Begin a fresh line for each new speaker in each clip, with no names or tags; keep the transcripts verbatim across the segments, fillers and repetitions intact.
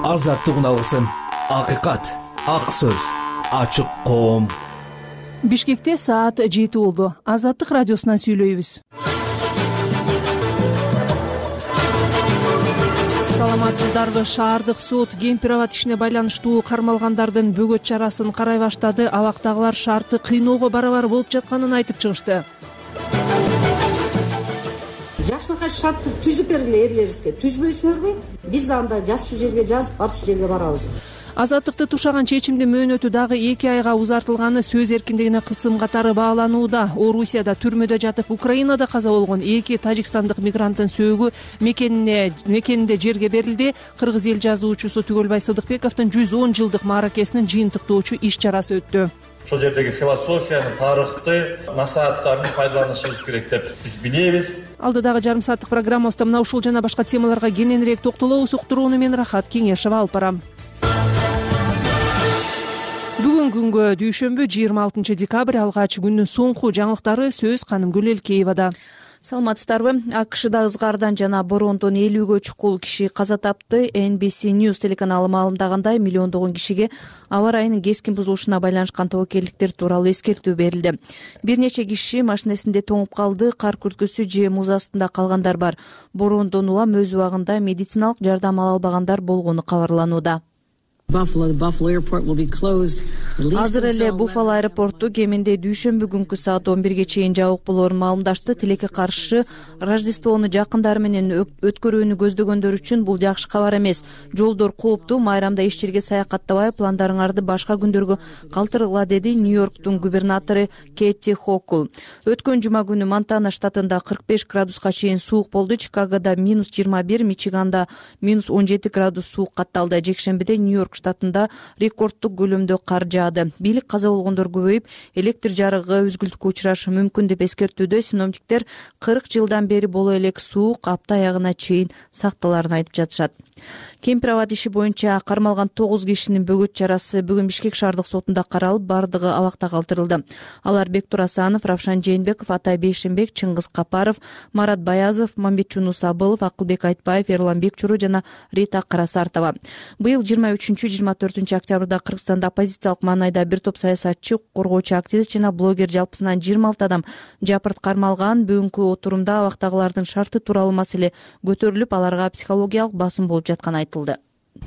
азаттык алгысым, акыйкат, ак сөз, ачык коом.
Бишкекте саат жети болду. Азаттык радиосунан сүйлөйбүз. Саламатсыздарбы? Шаардык сот Кемпир-Абад ишине байланыштуу кармалгандардын бөгөт чарасын карай баштады. Абактагылар шартты кыйноого барабар болуп жатканын айтып чыгышты.
Жашынкай шартты түзүп бергиле эрлерибизге. Түзбөйсүңөрбү? Биз да анда жазчу жерге жазып, барчу жерге барабыз.
Азаттыкты тушаган чечимдин мөөнөтү дагы эки айга узартылганы сөз эркиндигине кысым катары бааланууда. Орусияда түрмөдө жатып, Украинада каза болгон эки тажикстандык мигранттын сөөгү мекенине мекенинде жерге берилди. Кыргыз эл жазуучусу Түгөлбай Сыдыкбековдун жүз он жылдык мааракесинин жыйынтыктоочу иш чарасы өттү.
Ошол жердеги философияны, тарыхты, насааттарын пайдаланышыбыз керек деп биз билебиз.
Алдыдагы жарым сааттык программабызда мына ушул жана башка темаларга кененирээк токтолобуз. Уктурууну мен Рахат Кеңешева алып барам. Бүгүн күнгө дүйшөмбү жыйырма алтынчы декабрь алгач күндүн соңку жаңылыктары сөз Канымгүл Элкеевада.
Саламатсыздарбы? АКШда ызгаардан жана бороондон элүүгө чукул киши каза тапты. Эн Би Си News телеканалы маалымдагандай, миллиондогон кишиге аба ырайынын кескин бузулушуна байланышкан тобокелдиктер тууралуу эскертүү берилди. Бир нече киши машинесинде тоңуп калды, кар күрткөсү же муз астында калгандар бар. Бороондон улам өз убагында медициналык жардам ала албагандар болгону кабарланууда. Азыр эле Буффало аэропорту кеминде дүйшөмбү күнкү саат он бирге чейин жабык болоорун маалымдашты. Тилекке каршы Рождествону жакындары менен өткөрүүнү көздөгөндөр үчүн бул жакшы кабар эмес. Жолдор кооптуу, майрамда эч жерге саякаттабай, пландарыңарды башка күндөргө калтыргыла, деди Нью-Йорктун губернатору Кэти Хокул. Өткөн жума күнү Монтана штатында кырк беш градуска чейин суук болду. Чикагода минус жыйырма бир, Мичиганда минус он жети градус суук катталды. Жекшембиде Нью-Йорк штатында рекордтук көлөмдө кар жаады. Бийлик каза болгондор көбөйүп, электр жарыгы үзгүлтүккө учурашы мүмкүн деп эскертүүдө. Синоптиктер кырк жылдан бери боло элек суук апта аягына чейин сакталарын айтып жатышат. Кемпир-Абад иши боюнча кармалган тогуз кишинин бөгөт чарасы бүгүн Бишкек шаардык сотунда каралып, бардыгы абакта калтырылды. Алар Бектур Асанов, Равшан Жээнбеков, Атай Бейшенбек, Чыңгыз Капаров, Марат Баязов, Мамбетчуну Сабылов, Акылбек Айтбаев, Эрлан Бекчуру жана Рита Карасартова. Быйыл жыйырма үчүнчү жыйырма төртүнчү октябрда Кыргызстанда оппозициялык маанайда бир топ саясатчы, коргоочу активист жана блогер жалпысынан жыйырма алты адам жапырт кармалган. Бүгүнкү отурумда абактагылардын шарты тууралуу маселе көтөрүлүп, аларга психологиялык басым болуп жатканы айтылды.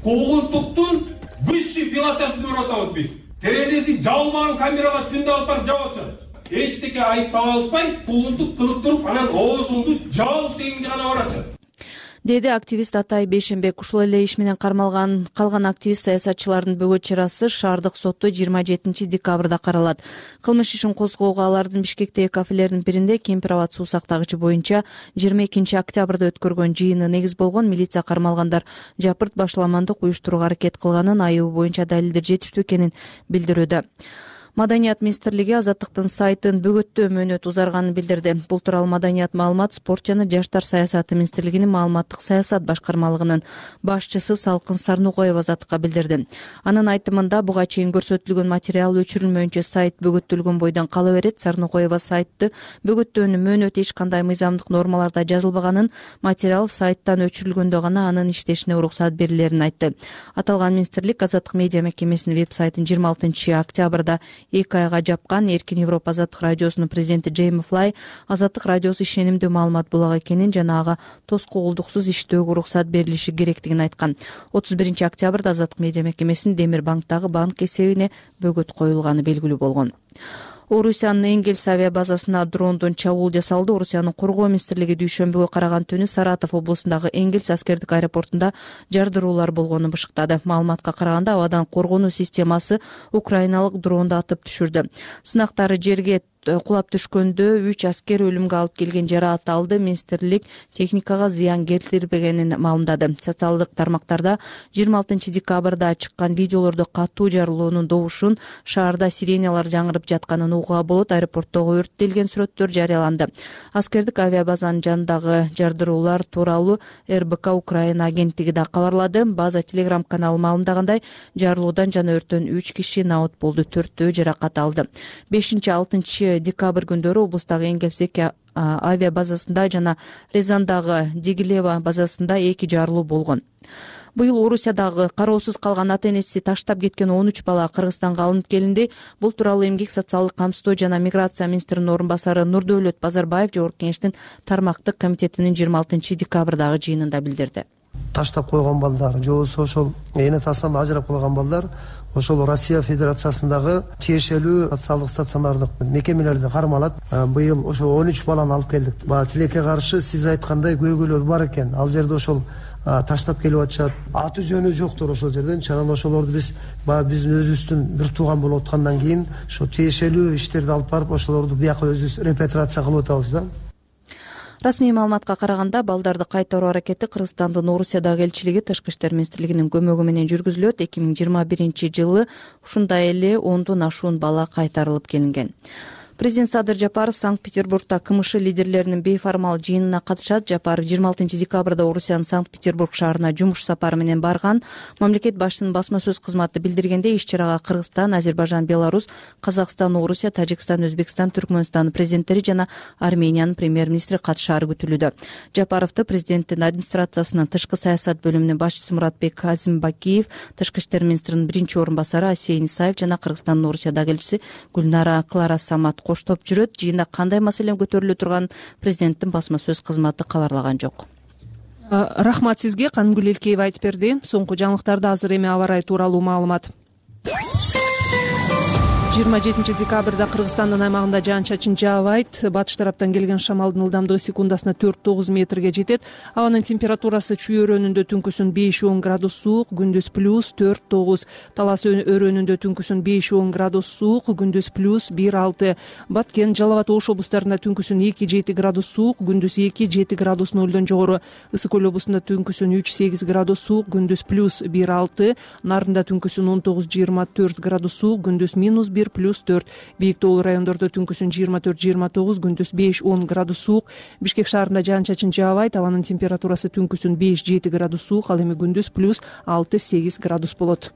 Куугунтуктун высший пилотажын көрүп атабыз биз. Терезеси жабылмаган камерага түндө алып барып жабып атышат. Эчтеке айып таба алышпай, куугунтук кылып туруп, анан оозуңду жабып сегинге гана баратышат,
деди активист Атай Бейшенбек. Ушул эле иш менен кармалган калган активист саясатчылардын бөгөт чарасы шаардык сотто жыйырма жетинчи декабрда каралат. Кылмыш ишин козгоого алардын Бишкектеги кафелердин биринде Кемпир-Абад суу сактагычы боюнча жыйырма экинчи октябрда өткөргөн жыйыны негиз болгон. Милиция кармалгандар жапырт башаламандык уюштурууга аракет кылганын, айыбы боюнча далилдер жетиштүү экенин билдирүүдө. Маданият министрлиги Азаттыктын сайтын бөгөттөө мөөнөт узарганын билдирди. Бул тууралуу Маданият, маалымат, спорт жана жаштар саясаты министрлигинин маалыматтык саясат башкармалыгынын башчысы Салкын Сарнукоева Азаттыкка билдирди. Анын айтымында, буга чейин көрсөтүлгөн материал өчүрүлмөйүнчө сайт бөгөттөлгөн бойдон кала берет. Сарнукоева сайтты бөгөттөөнүн мөөнөтү эч кандай мыйзамдык нормаларда жазылбаганын, материал сайттан өчүрүлгөндө гана анын иштешине уруксат берилерин айтты. Аталган министрлик Азаттык медиа мекемесинин веб-сайтын жыйырма алтынчы октябрда эки айга жапкан. Эркин Европа Азаттык радиосунун президенти Джейми Флай Азаттык радиосу ишенимдүү маалымат булак экенин жана ага тоскоолдуксуз иштөөгө уруксат берилиши керектигин айткан. отуз биринчи октябрда Азаттык медиа мекемесинин Демир банктагы банк эсебине бөгөт коюлганы белгилүү болгон. Орусиянын Энгельс авиа базасына дрондон чабуул жасалды. Орусиянын коргоо министрлиги дүйшөмбүгө караган түнү Саратов облусундагы Энгельс аскердик аэропортунда жардыруулар болгонун бышыктады. Маалыматка караганда, абадан коргонуу системасы украиналык дронду атып түшүрдү. Сынактары жерге кулап түшкөндө үч аскер өлүмгө алып келген жараат алды. Министрлик техникага зыян келтирбегенин маалымдады. Социалдык тармактарда жыйырма алтынчы декабрда чыккан видеолордо катуу жарылуунун добушун, шаарда сиреналар жаңырып жатканын угууга болот. Аэропорттогу өрттөлгөн сүрөттөр жарыяланды. Аскердик авиабазанын жанындагы жардыруулар тууралуу эр бэ ка Украина агенттиги да кабарлады. База телеграм каналы маалымдагандай, жарылуудан жана өрттөн үч киши наот болду, төртөө жаракат алды. бешинчи алтынчы декабрь күндөрү облустагы Энгельс авиа базасында жана Рязандагы Дигилева базасында эки жарылуу болгон. Быйыл Орусиядагы кароосуз калган ата энеси таштап кеткен он үч бала Кыргызстанга алынып келинди. Бул тууралуу Эмгек социалдык камсыздоо жана миграция министринин орун басары Нурдөөлөт Базарбаев Жогорку Кеңештин тармактык комитетинин жыйырма алтынчы декабрдагы жыйынында билдирди.
Таштап койгон балдар же болбосо ошол эне атасынан ажырап калган балдар ошол Россия Федерациясындагы тиешелүү социалдык стационардык мекемелерде кармалат. Быйыл ошо он үч баланы алып келдик. Баа тилекке каршы сиз айткандай көйгөйлөр бар экен. Ал жерде ошол таштап келип атышат. Аты жөнү жоктур ошол жерден. Анан ошолорду биз баа биздин өзүбүздүн бир тууган болуп аткандан кийин ошо тиешелүү иштерди алып барып ошолорду бияка өзүбүз репатриация кылып атабыз да.
Расмий маалыматка караганда балдарды кайтаруу аракети Кыргызстандын Орусиядагы элчилиги Тышкы иштер министрлигинин көмөгү менен жүргүзүлөт. эки миң жыйырма биринчи жылы ушундай эле ондон ашуун бала кайтарылып келинген. Президент Садыр Жапаров Санкт-Петербургда КМШ лидерлеринин бейформал жыйынына катышат. Жапаров жыйырма алтынчы декабрда Орусиянын Санкт-Петербург шаарына жумуш сапары менен барган. Мамлекет башчысынын басма сөз кызматы билдиргенде, иш-чарага Кыргызстан, Азербайжан, Беларусь, Казакстан, Орусия, Тажикстан, Өзбекстан, Түркмөнстандын президенттери жана Армениянын премьер-министри катышаары күтүлүүдө. Жапаровду президенттин администрациясынын тышкы саясат бөлүмүнүн башчысы Муратбек Казимбакиев, тышкы иштер министринин биринчи орун басары Асия Исаев жана Кыргызстандын Орусиядагы элчиси Гүлнара Клара Самат коштоп жүрөт. Жыйында кандай маселе көтөрүлө турган президенттин басма сөз кызматы кабарлаган жок.
Рахмат сизге. Канымгүл Элкеева айтып берди. Соңку жаңылыктарда азыр эми аба ырайы тууралуу маалымат. жыйырма жетинчи декабрда Кыргызстандын аймагында жаан-чачын жаабайт. Батыш тараптан келген шамалдын ылдамдыгы секундасына төрт тогуз метрге жетет. Абанын температурасы Чүй өрөөнүндө түнкүсүн беш он градус суук, күндүз плюс төрт тогуз. Талас өрөөнүндө түнкүсүн беш он градус суук, күндүз плюс бир алты. Баткен, Жалал абад, Ош облустарында түнкүсүн эки жети градус суук, күндүз эки жети градус нөлдөн жогору. Ысык көл облусунда түнкүсүн үч сегиз градус суук, күндүз плюс бир алты. Нарында түнкүсүн он тогуз жыйырма төрт градус суук, күндүз минус бир плюс төрт. Бийик тоолуу райондордо түнкүсүн жыйырма төрт жыйырма тогуз, күндүз беш он градус суук. Бишкек шаарында жаан-чачын жаабайт. Абанын температурасы түнкүсүн беш жети градус суук, ал эми күндүз плюс алты сегиз градус болот.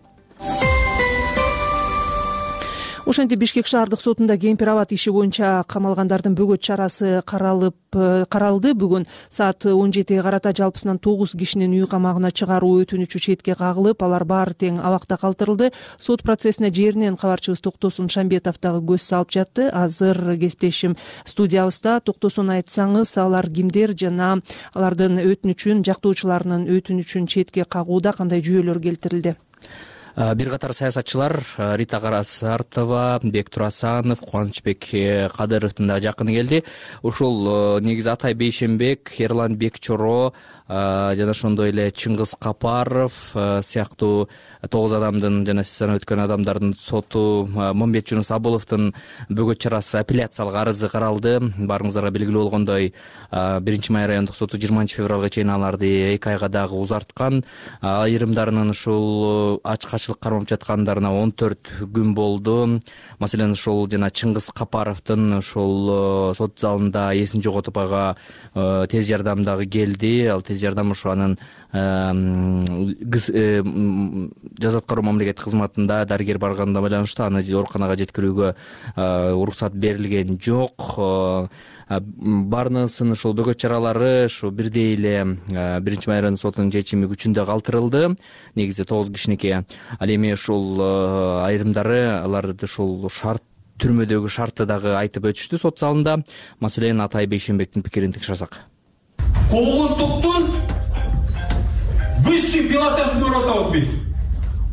Ошентип Бишкек шаардык сотунда кемпир абад иши боюнча камалгандардын бөгөт чарасы каралып каралды. Бүгүн саат он жетиге карата жалпысынан тогуз кишинин үй камагына чыгаруу өтүнүчү четке кагылып, алар баары тең абакта калтырылды. Сот процессине жеринен кабарчыбыз Токтосун Шамбетов дагы көз салып жатты. Азыр кесиптешим студиябызда. Токтосун, айтсаңыз, алар кимдер жана алардын өтүнүчүн, жактоочуларынын өтүнүчүн четке кагууда кандай жүйөлөр келтирилди?
Бир катар саясатчылар Рита Карасартова, Бектур Асанов, Кубанычбек Кадыровдун да жакыны келди. Ушул негизи Атай Бейшенбек, Эрланбек Чоро жана ошондой эле Чыңгыз Капаров сыяктуу тогуз адамдын жана сиз санап өткөн адамдардын соту, Момбет Жунус Абыловдун бөгөт чарасы апелляциялык арызы каралды. Баарыңыздарга белгилүү болгондой, биринчи май райондук соту жыйырманчы февралга чейин аларды эки айга дагы узарткан. Айрымдарынын ушул ачкачылык кармап жаткандарына он төрт күн болду. Маселен, ушул жана Чыңгыз Капаровдун ушул сот залында эсин жоготуп ага тез жардам дагы келди. Ал тез жардам ушу анын жаза аткаруу мамлекеттик кызматында дарыгер барганына байланыштуу аны ооруканага жеткирүүгө уруксат берилген жок. Баарынын ушул бөгөт чаралары ушу бирдей эле биринчи май райондук сотунун чечими күчүндө калтырылды. Негизи тогуз кишиники. Ал эми ушул айрымдары аларды ушул шарт түрмөдөгү шартты дагы айтып өтүштү сот залында. Маселен, Атай Бейшенбектин пикирин текшерсек.
Куугунтуктун высший пилотажын өтөбүз биз.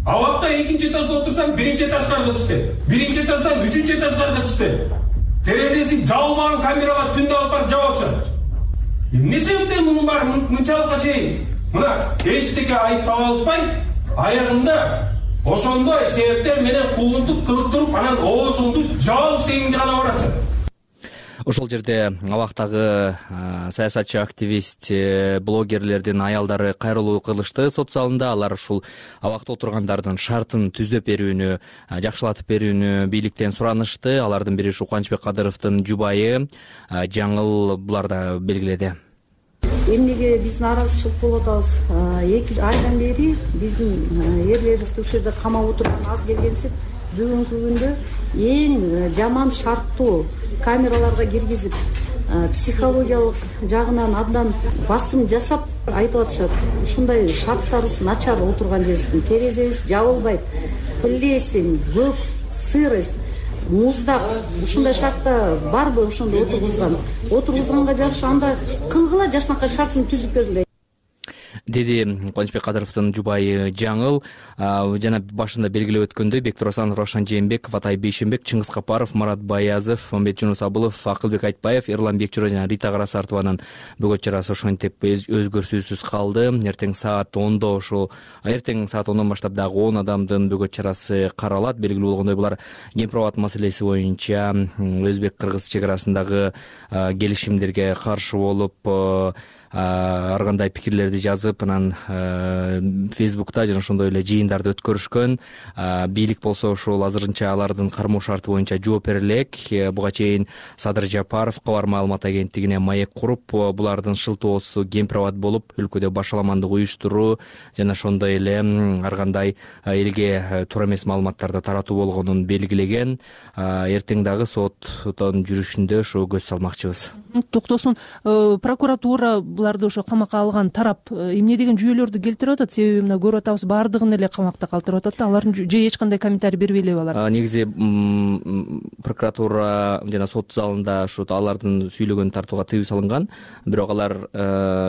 Абакта экинчи этажда отурсаң, биринчи этажга кайтышты. Биринчи этаждан үчүнчү этажга кайтышты. Терезеси жабылмаган камерага түндө алып барып жаап атышат. Эмне себептен мунун баары мынчалыкка чейин мына эчтеке айып таба алышпай, аягында ошондой себептер менен куугунтук кылып туруп, анан оозуңду жабыл сегиңди гана баратышат.
Ошол жерде абактагы саясатчы, активист, блогерлердин аялдары кайрылуу кылышты сот залында. Алар ушул абакта отургандардын шартын түздөп берүүнү, жакшылатып берүүнү бийликтен суранышты. Алардын бири ушу Кубанычбек Кадыровдун жубайы Жаңыл булар да белгиледи.
Эмнеге биз нааразычылык болуп атабыз? эки айдан бери биздин эрлерибизди ушул жерде камап отурган аз келгенсип, бүгүнкү күндө эң жаман шарттуу камераларга киргизип, психологиялык жагынан абдан басым жасап айтып атышат. Ушундай шарттарыбыз начар отурган жерибиздин, терезебиз жабылбайт, плесень, көк, сырость, муздак. Ушундай шартта барбы ошондо отургузган? Отургузганга жараша анда кылгыла жашынакай шартын түзүп бергиле,
деди Кубанычбек Кадыровдун жубайы Жаңыл. Жана башында белгилеп өткөндөй, Бектур Асанов, Равшан Жээнбеков, Атай Бейшенбек, Чыңгыз Капаров, Марат Баязов, Мамбет Жунус Абылов, Акылбек Айтбаев, Эрлан Бекчоро жана Рита Карасартованын бөгөт чарасы ошентип өзгөрүүсүз калды. Эртең саат ондо ошол эртең саат ондон баштап дагы он адамдын бөгөт чарасы каралат. Белгилүү болгондой, булар Гемпробат маселеси боюнча өзбек-кыргыз чек арасындагы келишимдерге каршы болуп, ар кандай пикирлерди жазып, анан Фейсбукта жана ошондой эле жыйындарды өткөрүшкөн. Бийлик болсо ошол азырынча алардын кармоо шарты боюнча жооп бере элек. Буга чейин Садыр Жапаров кабар маалымат агенттигине маек куруп, булардын шылтоосу Гемпробат болуп, өлкөдө башаламандык уюштуруу жана ошондой эле ар кандай элге туура эмес маалыматтарды таратуу болгонун белгилеген. Эртең дагы соттун жүрүшүндө ошо көз салмакчыбыз.
Токтосун, прокуратура буларды ошо камакка алган тарап эмне деген жүйөлөрдү келтирип атат? Себеби мына көрүп атабыз, баардыгын эле камакта калтырып атат да, алардын же эч кандай комментарий бербей элеби алар?
Негизи прокуратура жана сот залында ушу алардын сүйлөгөн тартууга тыюу салынган, бирок алар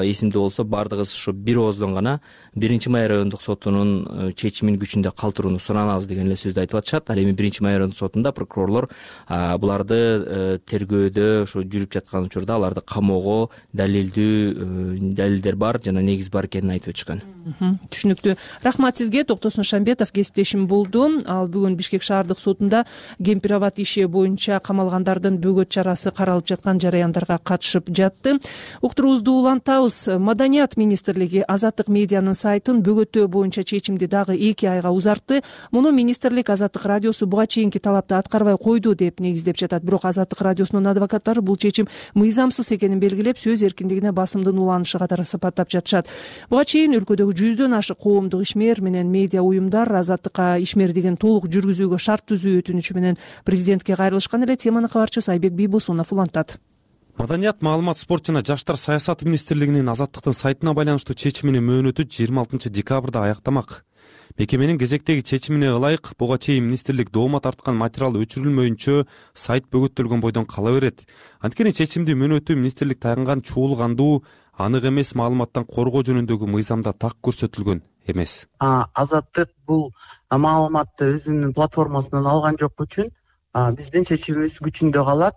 эсимде болсо баардыгыбыз ушу бир ооздон гана биринчи май райондук сотунун чечимин күчүндө калтырууну суранабыз деген эле сөздү айтып атышат. Ал эми биринчи май райондук сотунда прокурорлор буларды тергөөдө ошо жүрүп жаткан учурда аларды камоого далилдүү далилдер бар жана негиз бар экенин айтып өтүшкөн.
Түшүнүктүү. Рахмат сизге. Токтосун Шамбетов кесиптешим болду. Ал бүгүн Бишкек шаардык сотунда Гемпробат иши боюнча камалгандардын бөгөт чарасы каралып жаткан жараяндарга катышып жатты. Уктуруубузду улантабыз. Маданият министрлиги Азаттык медианын сайтын бөгөттөө боюнча чечимди дагы эки айга узартты. Муну министрлик Азаттык радиосу буга чейинки талапты аткарбай койду деп негиздеп жатат. Бирок Азаттык радиосунун адвокаттары бул чечим мыйзамсыз экенин белгилеп, сөз эркиндигине басымдын уланышы катары сыпаттап жатышат. Буга чейин өлкөдөгү жүздөн ашык коомдук ишмер менен медиа уюмдар азаттыкка ишмердигин толук жүргүзүүгө шарт түзүү өтүнүчү менен президентке кайрылышкан эле. Теманы кабарчыбыз Айбек Бийбосунов улантат.
Маданият, маалымат, спорт жана жаштар саясаты министрлигинин Азаттыктын сайтына байланыштуу чечиминин мөөнөтү жыйырма алтынчы декабрда аяктамак. Мекеменин кезектеги чечимине ылайык, буга чейин министрлик доомат тарткан материал өчүрүлмөйүнчө сайт бөгөттөлгөн бойдон кала берет. Анткени чечимди мөөнөтү министрлик таянган чуулгандуу, анык эмес маалыматтан коргоо жөнүндөгү мыйзамда так көрсөтүлгөн эмес.
Азаттык бул маалыматты өзүнүн платформасынан алган жок үчүн биздин чечимибиз күчүндө калат.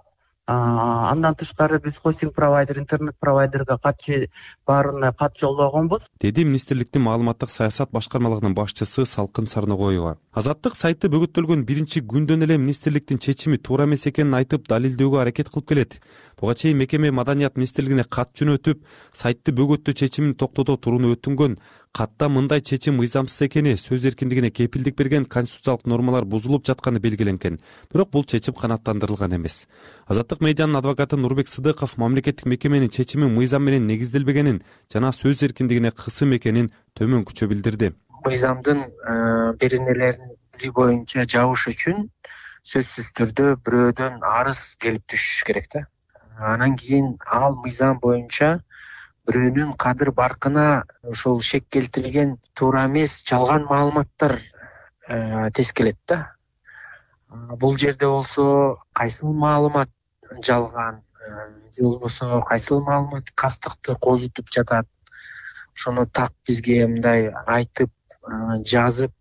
Андан тышкары биз хостинг провайдер, интернет провайдерге кат баарына кат жолдогонбуз,
деди министрликтин маалыматтык саясат башкармалыгынын башчысы Салкын Сарногоева. Азаттык сайты бөгөттөлгөн биринчи күндөн эле министрликтин чечими туура эмес экенин айтып, далилдөөгө аракет кылып келет. Буга чейин мекеме Маданият министрлигине кат жөнөтүп, сайтты бөгөттөө чечимин токтото турууну өтүнгөн. Катта мындай чечим мыйзамсыз экени, сөз эркиндигине кепилдик берген конституциялык нормалар бузулуп жатканы белгиленген. Бирок бул чечим канааттандырылган эмес. Азаттык медианын адвокаты Нурбек Сыдыков мамлекеттик мекеменин чечими мыйзам менен негизделбегенин жана сөз эркиндигине кысым экенин төмөнкүчө билдирди.
Мыйзамдын беренелери боюнча жабыш үчүн сөзсүз түрдө бирөөдөн арыз келип түшүш керек да. Анан кийин ал мыйзам боюнча бирөөнүн кадыр баркына ошол шек келтирилген туура эмес жалган маалыматтар тескелет да. Бул жерде болсо кайсыл маалымат жалган же болбосо кайсыл маалымат кастыкты козутуп жатат, ошону так бизге мындай айтып жазып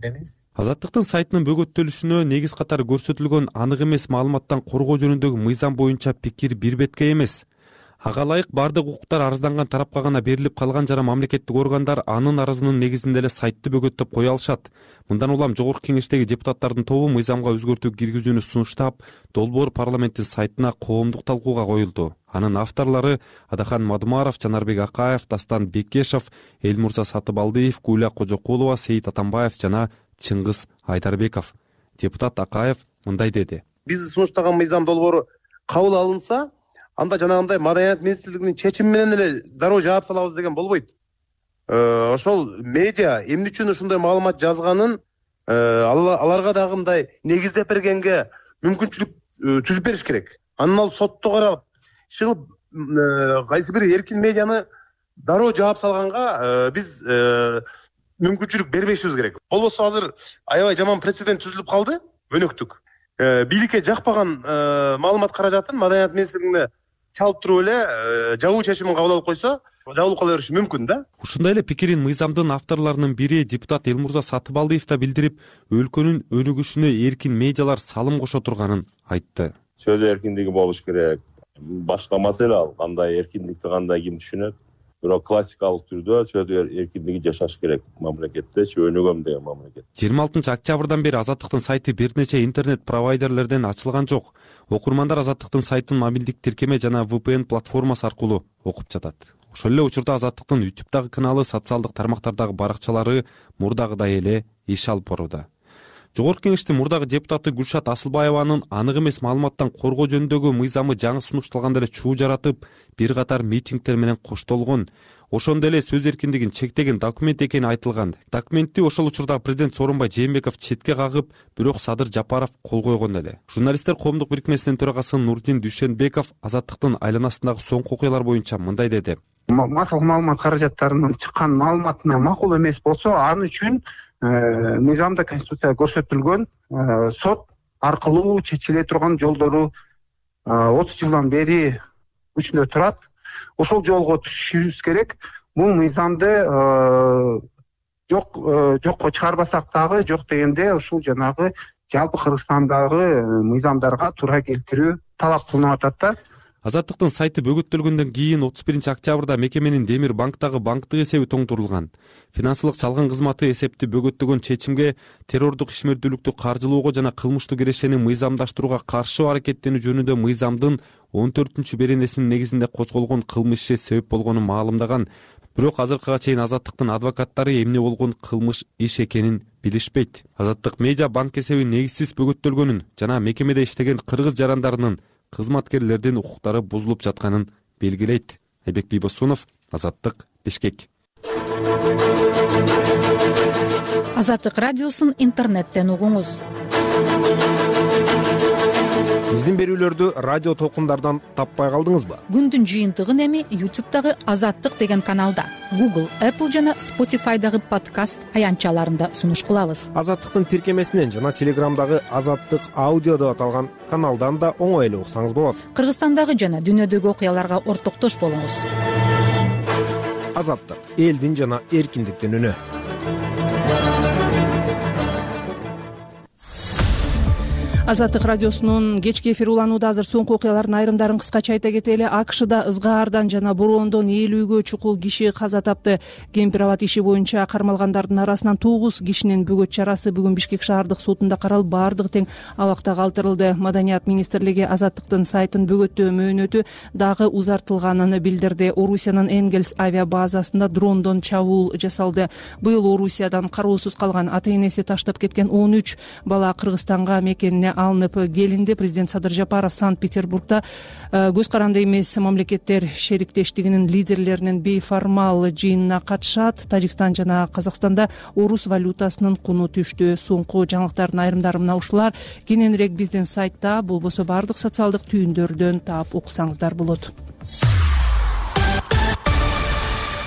эмес.
Азаттыктын сайтынын бөгөттөлүшүнө негиз катары көрсөтүлгөн анык эмес маалыматтан коргоо жөнүндөгү мыйзам боюнча пикир бир бетке эмес. Ага ылайык бардык укуктар арызданган тарапка гана берилип калган жана мамлекеттик органдар анын арызынын негизинде эле сайтты бөгөттөп кое алышат. Мындан улам жогорку кеңештеги депутаттардын тобу мыйзамга өзгөртүү киргизүүнү сунуштап, долбоор парламенттин сайтына коомдук талкууга коюлду. Анын авторлору Адахан Мадумаров, Жанарбек Акаев, Дастан Бекешев, Элмурза Сатыбалдиев, Гуля Кожокулова, Сейит Атамбаев жана Чыңгыз Айдарбеков. Депутат Акаев мындай деди.
Биз сунуштаган мыйзам долбоору кабыл алынса, анда жанагындай Маданият министрлигинин чечими менен эле дароо жаап салабыз деген болбойт. Ошол медиа эмне үчүн ушундай маалымат жазганын аларга дагы мындай негиздеп бергенге мүмкүнчүлүк түзүп бериш керек. Анан ал сотто каралып, чыгып кайсы бир эркин медианы дароо жаап салганга биз мүмкүнчүлүк бербешибиз керек. Болбосо азыр аябай жаман прецедент түзүлүп калды, өнөктүк. Бийликке жакпаган маалымат каражатын Маданият министрлигине чалып туруп эле жабуу чечимин кабыл алып койсо, жабылып кала бериши мүмкүн да.
Ушундай эле пикирин мыйзамдын авторлорунун бири депутат Элмурза Сатыбалдиев да билдирип, өлкөнүн өнүгүшүнө эркин медиалар салым кошо турганын айтты.
Сөз эркиндиги болуш керек. Башка маселе ал, кандай эркиндикти кандай ким түшүнөт. Бирок классикалык түрдө сөз эркиндиги жашаш керек мамлекетте, өнүгөм деген мамлекет.
жыйырма алтынчы октябрдан бери Азаттыктын сайты бир нече интернет провайдерлерден ачылган жок. Окурмандар Азаттыктын сайтын мобилдик тиркеме жана ви пи эн платформасы аркылуу окуп жатат. Ошол эле учурда Азаттыктын ютубтагы каналы, социалдык тармактардагы баракчалары мурдагыдай эле иш алып барууда. Жогорку Кеңештин мурдагы депутаты Гүлшат Асылбаеванын анык эмес маалыматтан коргоо жөнүндөгү мыйзамы жаңы сунушталганда эле чуу жаратып, бир катар митингдер менен коштолгон, ошондой эле сөз эркиндигин чектеген документ экени айтылган. Документти ошол учурда президент Сооронбай Жээнбеков четке кагып, бирок Садыр Жапаров кол койгон эле. Журналисттер коомдук бирикмесинин төрагасы Нурдин Дүйшөнбеков Азаттыктын айланасындагы соңку окуялар боюнча мындай деди.
Массалык маалымат каражаттарынын чыккан маалыматына макул эмес болсо, аны үчүн мыйзамда, конституцияда көрсөтүлгөн сот аркылуу чечиле турган жолдору отуз жылдан бери күчүндө турат. Ошол жолго түшүшүбүз керек. Бул мыйзамды жок жокко чыгарбасак дагы, жок дегенде ушул жанагы жалпы Кыргызстандагы мыйзамдарга туура келтирүү талап кылынып атат да.
Азаттыктын сайты бөгөттөлгөндөн кийин отуз биринчи октябрда мекеменин Демир банктагы банктык эсеби тоңдурулган. Финансылык чалган кызматы эсепти бөгөттөгөн чечимге террордук ишмердүүлүктү каржылоого жана кылмыштуу кирешени мыйзамдаштырууга каршы аракеттенүү жөнүндө мыйзамдын он төртүнчү беренесинин негизинде козголгон кылмыш иши себеп болгонун маалымдаган. Бирок азыркыга чейин Азаттыктын адвокаттары эмне болгон кылмыш иш экенин билишпейт. Азаттык медиа банк эсеби негизсиз бөгөттөлгөнүн жана мекемеде иштеген кыргыз жарандарынын, кызматкерлердин укуктары бузулуп жатканын белгилейт. Айбек Бийбосунов, Азаттык, Бишкек.
Азаттык радиосун интернеттен угуңуз.
Биздин берүүлөрдү радио толкундардан таппай калдыңызбы?
Күндүн жыйынтыгын эми ютубтагы Азаттык деген каналда, Google, Apple жана Spotify'дагы подкаст аянтчаларында сунуш кылабыз.
Азаттыктын тиркемесинен жана Телеграмдагы Азаттык аудио деп аталган каналдан да оңой эле уксаңыз болот.
Кыргызстандагы жана дүйнөдөгү окуяларга ортоктош болуңуз.
Азаттык, элдин жана эркиндиктин үнү.
Азаттык радиосунун кечки эфири уланууда. Азыр соңку окуялардын айрымдарын кыскача айта кетели. акшда ызгаардан жана бороондон ээлүүгө чукул киши каза тапты. Кемпир-абад иши боюнча кармалгандардын арасынан тогуз кишинин бөгөт чарасы бүгүн Бишкек шаардык сотунда каралып, баардыгы тең абакта калтырылды. Маданият министрлиги Азаттыктын сайтын бөгөттөө мөөнөтү дагы узартылганын билдирди. Орусиянын Энгельс авиабазасында дрондон чабуул жасалды. Быйыл Орусиядан кароосуз калган, ата-энеси таштап кеткен он үч бала Кыргызстанга мекенине алынып келинди. Президент Садыр Жапаров Санкт-Петербургда көз каранды эмес мамлекеттер шериктештигинин лидерлеринин бейформал жыйынына катышат. Тажикстан жана Казакстанда орус валютасынын куну түштү. Соңку жаңылыктардын айрымдары мына ушулар. Кененирээк биздин сайтта, болбосо бардык социалдык түйүндөрдөн таап уксаңыздар болот.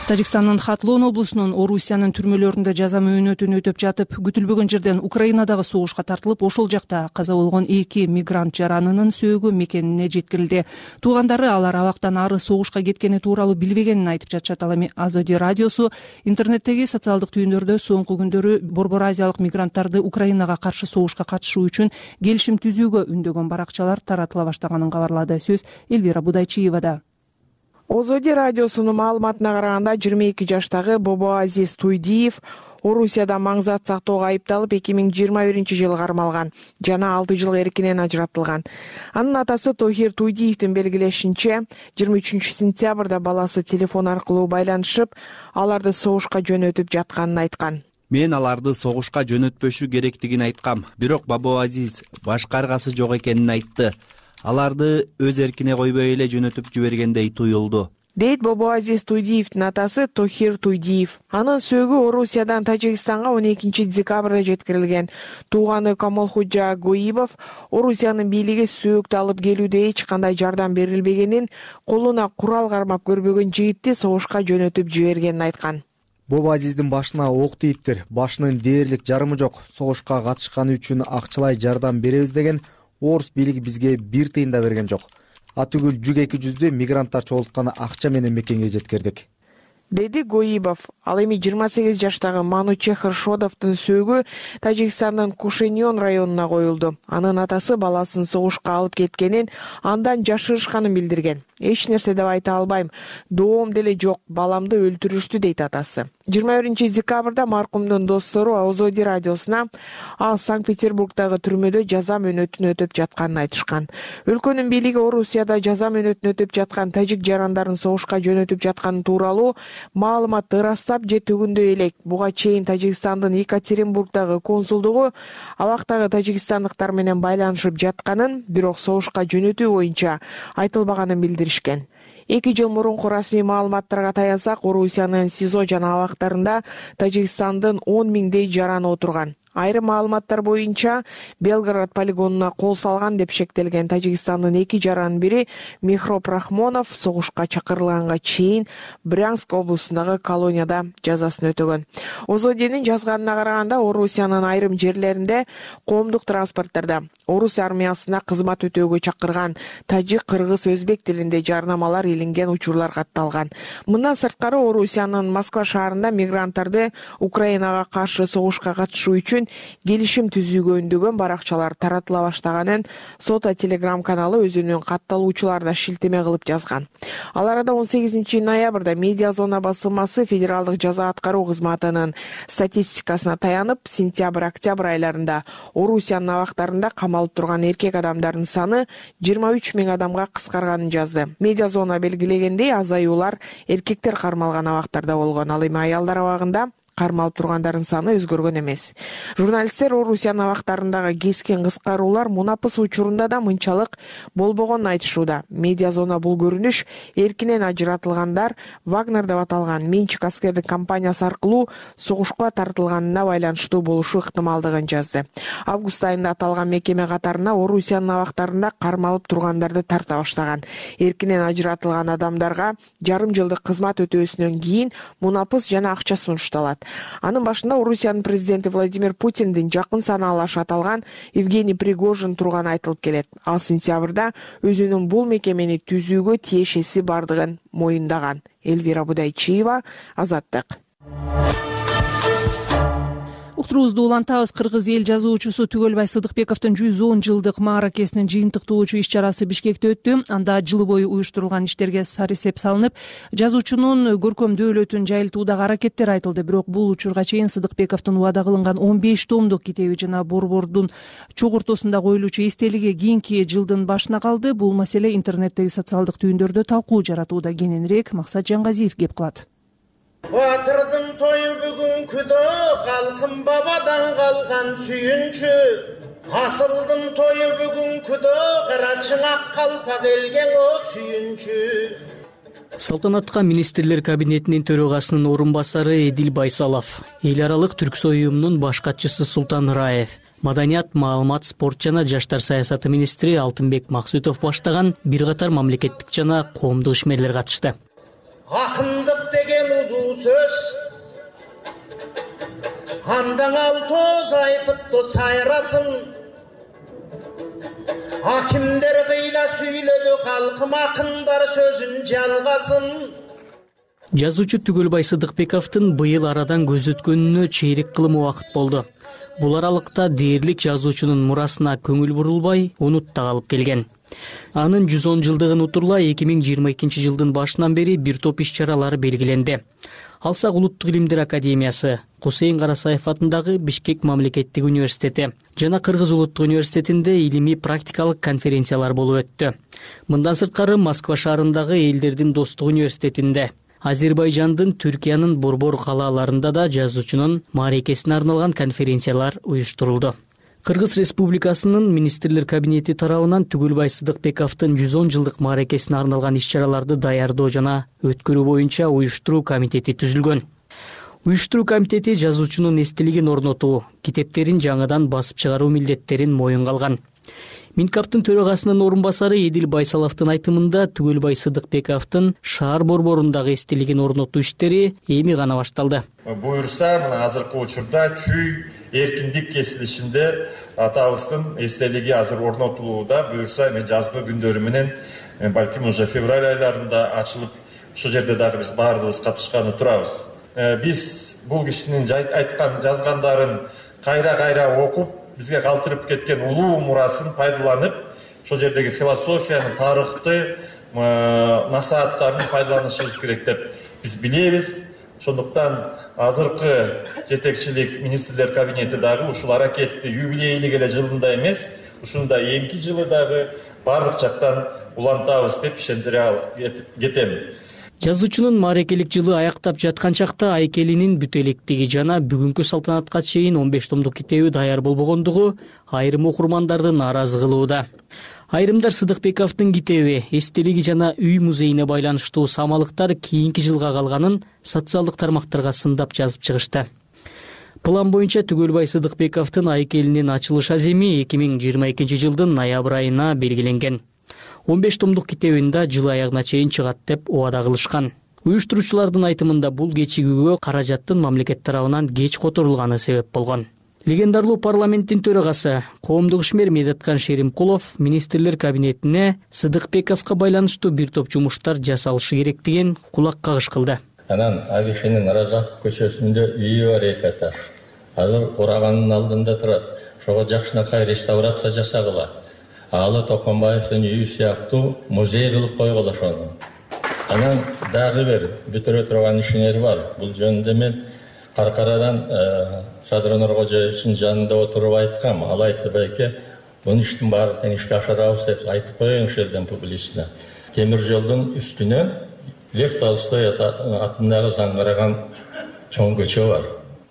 Тажикстандын Хатлон облусунун Орусиянын түрмөлөрүндө жаза мөөнөтүн өтөп жатып, күтүлбөгөн жерден Украинадагы согушка тартылып, ошол жакта каза болгон эки мигрант жаранынын сөөгү мекенине жеткирилди. Туугандары алар абактан ары согушка кеткени тууралуу билбегенин айтып жатышат. Ал эми Азоди радиосу интернеттеги социалдык түйүндөрдө соңку күндөрү Борбор Азиялык мигранттарды Украинага каршы согушка катышуу үчүн келишим түзүүгө үндөгөн баракчалар таратыла баштаганын кабарлады. Сөз Элвира Будайчиевада.
Озоди радиосунун маалыматына караганда, жыйырма эки жаштагы Бобоазиз Туйдиев Орусияда маңзат сактоого айыпталып эки миң жыйырма биринчи жылы кармалган жана алты жыл эркинен ажыратылган. Анын атасы Тохир Туйдиевдин белгилешинче, жыйырма үчүнчү сентябрда баласы телефон аркылуу байланышып, аларды согушка жөнөтүп жатканын айткан.
Мен аларды согушка жөнөтпөшү керектигин айткам, бирок Бобоазиз башка аргасы жок экенин айтты. Аларды өз эркине койбой эле жөнөтүп жибергендей туюлду.
дейт Бобоазиз Туйдиевдин атасы Тохир Туйдиев. Анын сөөгү Орусиядан Тажикстанга он экинчи декабрда жеткирилген. Тууганы Камолхуджа Гоибов Орусиянын бийлиги сөөктү алып келүүдө эч кандай жардам берилбегенин, колуна курал кармап көрбөгөн жигитти согушка жөнөтүп жибергенин айткан.
Бобоазиздин башына ок тийиптир. Башынын дээрлик жарымы жок. Согушка катышканы үчүн акчалай жардам беребиз деген орус бийлиги бизге бир тыйын да берген жок. Атүгүл жүз эки жүздүү мигранттар чогулткан акча менен мекенге жеткирдик,
деди Гоибов. Ал эми жыйырма сегиз жаштагы Манучехр Шодовдун сөөгү Тажикстандын Кушеньон районуна коюлду. Анын атасы баласын согушка алып кеткенин, андан жашырышканын билдирген. Эч нерсе деп айта албайм. Доом деле жок, баламды өлтүрүштү, дейт атасы. жыйырма биринчи декабрда маркумдун достору Озоди радиосуна ал Санкт-Петербургдагы түрмөдө жаза мөөнөтүн өтөп жатканын айтышкан. Өлкөнүн бийлиги Орусияда жаза мөөнөтүн өтөп жаткан тажик жарандарын согушка жөнөтүп жатканы тууралуу маалыматты ырастап же төгүндөй элек. Буга чейин Тажикстандын Екатеринбургдагы консулдугу абактагы тажикстандыктар менен байланышып жатканын, бирок согушка жөнөтүү боюнча айтылбаганын билдиришкен. Эки жыл мурунку расмий маалыматтарга таянсак, Орусиянын СИЗО жана абактарында Тажикстандын он миңдей жараны отурган. Айрым маалыматтар боюнча Белгород полигонуна кол салган деп шектелген Тажикстандын эки жаранын бири Мехроп Рахмонов согушка чакырылганга чейин Брянск облусундагы колонияда жазасын өтөгөн. Озодинин жазганына караганда, Орусиянын айрым жерлеринде коомдук транспорттарда орус армиясына кызмат өтөөгө чакырган тажик, кыргыз, өзбек тилинде жарнамалар илинген учурлар катталган. Мындан сырткары, Орусиянын Москва шаарында мигранттарды Украинага каршы согушка катышуу үчүн келишим түзүүгө үндөгөн баракчалар таратыла баштаганын Сота Телеграм каналы өзүнүн катталуучуларына шилтеме кылып жазган. Ал арада он сегизинчи ноябрда Медиа Зона басылмасы федералдык жаза аткаруу кызматынын статистикасына таянып, сентябрь-октябрь айларында Орусиянын абактарында камалып турган эркек адамдардын саны жыйырма үч миң адамга кыскарганын жазды. Медиа Зона белгилегендей, азаюулар эркектер кармалган абактарда болгон. Ал эми аялдар абагында кармалып тургандардын саны өзгөргөн эмес. Журналисттер Орусиянын абактарындагы кескен кыскаруулар мунапыс учурунда да мынчалык болбогонун айтышууда. Медиа Зона бул көрүнүш эркинен ажыратылгандар Вагнер деп аталган менчик аскердик компаниясы аркылуу согушка тартылганына байланыштуу болушу ыктымалдыгын жазды. Август айында аталган мекеме катарына Орусиянын абактарында кармалып тургандарды тарта баштаган. Эркинен ажыратылган адамдарга жарым жылдык кызмат өтөөсүнөн кийин мунапыс жана акча сунушталат. Анын башында Орусиянын президенти Владимир Путиндин жакын санаалашы аталган Евгений Пригожин турганы айтылып келет. Ал сентябрда өзүнүн бул мекемени түзүүгө тиешеси бардыгын моюндаган. Элвира Будайчиева, Азаттык.
Уктуруубузду улантабыз. Кыргыз эл жазуучусу Түгөлбай Сыдыкбековдун жүз он жылдык мааракесинин жыйынтыктоочу иш чарасы Бишкекте өттү. Анда жыл бою уюштурулган иштерге сарысеп салынып, жазуучунун көркөм дөөлөтүн жайылтуудагы аракеттер айтылды. Бирок бул учурга чейин Сыдыкбековдун убада кылынган он беш томдук китеби жана борбордун чогуртосунда коюлуучу эстелиги кийинки жылдын башына калды. Бул маселе интернеттеги социалдык түйүндөрдө талкуу жаратууда. Кененирээк Максат Жангазиев кеп кылат.
Батырдың тойы бүгін күдө, халқым бабадан қалған сүйінші. Асылдың тойы бүгін күдө, қырачыңа қалпа келген о сүйінші.
Салтанатка министрлер кабинетинин төрагасынын орун басары Эдил Байсалов, эл аралык түрксой уюмунун баш катчысы Султан Раев, Маданият, маалымат, спорт жана жаштар саясаты министри Алтынбек Максутов баштаган бир катар мамлекеттик жана коомдук ишмерлер катышты.
Акындык деген удуу сөз, андан ал тоз айтыпты сайрасын. Акимдер кыйла сүйлөдү, калкым акындар сөзүн жалгасын.
Жазуучу Түгөлбай Сыдыкбековдун быйыл арадан көз өткөнүнө чейрек кылымы убакыт болду. Бул аралыкта дээрлик жазуучунун мурасына көңүл бурулбай, унутта калып келген. Анын жүз он жылдыгын утурлай эки миң жыйырма экинчи жылдын башынан бери бир топ иш чаралары белгиленди. Алсак Улуттук илимдер академиясы, Кусейин Карасаев атындагы Бишкек мамлекеттик университети жана Кыргыз улуттук университетинде илимий практикалык конференциялар болуп өттү. Мындан сырткары Москва шаарындагы Элдердин достук университетинде, Азербайжандын, Түркиянын борбор калааларында да жазуучунун мааракесине арналган конференциялар уюштурулду. Кыргыз Республикасынын министрлер кабинети тарабынан Түгүлбай Сыдыкбековдун жүз он жылдык мааракесине арналган иш-чараларды даярдоо жана өткөрүү боюнча уюштуруу комитети түзүлгөн. Уюштуруу комитети жазуучунун эстелигин орнотуу, китептерин жаңыдан басып чыгаруу милдеттерин моюнга алган. Минкаптын төрагасынын орун басары Эдил Байсаловдун айтымында Түгүлбай Сыдыкбековдун шаар борборундагы эстелигин орнотуу иштери эми гана башталды.
Буюрса, мына азыркы учурда чүй эркиндик кесилишинде атабыздын эстелиги азыр орнотулууда. Буюрса, эми жазгы күндөрү менен балким уже февраль айларында ачылып, ошол жерде дагы биз баардыгыбыз катышканы турабыз. Биз бул кишинин айткан жазгандарын кайра-кайра окуп, бизге калтырып кеткен улуу мурасын пайдаланып, ошол жердеги философияны, тарыхты, насааттарын пайдаланышыбыз керек деп биз билебиз. Ошондуктан азыркы жетекчилик министрлер кабинети дагы ушул аракетти юбилейлик эле жылында эмес, ушунда эмки жылы дагы бардык жактан улантабыз деп ишендире кетем.
Жазуучунун мааракелик жылы аяктап жаткан чакта Айкелинин бүт электиги жана бүгүнкү салтанатка чейин он беш томдук китеби даяр болбогондугу айрым окурмандарды нааразы кылууда. Айрымдар Сыдыкбековдун китеби, эстелиги жана үй музейине байланыштуу самалыктар кийинки жылга калганын социалдык тармактарга сындап жазып чыгышты. План боюнча Түгүлбай Сыдыкбековдун Айкелинин ачылыш аземи эки миң жыйырма экинчи жылдын ноябрь айына белгиленген. он беш томдук китебин да жыл аягына чейин чыгат деп убада кылышкан. Уюштуруучулардын айтымында бул кечигүүгө каражаттын мамлекет тарабынан кеч которулганы себеп болгон. Легендарлуу парламенттин төрагасы, коомдук ишмер Медеткан Шеримкулов министрлер кабинетине Сыдыкбековго байланыштуу бир топ жумуштар жасалышы керек деген кулак кагыш кылды.
Анан Агишинин Разак көчөсүндө үйү бар эки этаж. Азыр ураганын алдында турат. Ошого жакшынакай реставрация жасагыла. Алы Токонбаевдин үйү сыяктуу музей кылып койгула ошону. Анан дагы бир бүтүрө турган ишинер бар. Бул жөнүндө мен Каркарадан Садыр Нуркожоевдун жанында отуруп айткам. Ал айтты, байке, бул иштин баарын тең ишке ашырабыз деп айтып коеюн ушул жерден публично. Темир жолдун үстүнө Лев Толстой атындагы заңгыраган чоң көчө бар.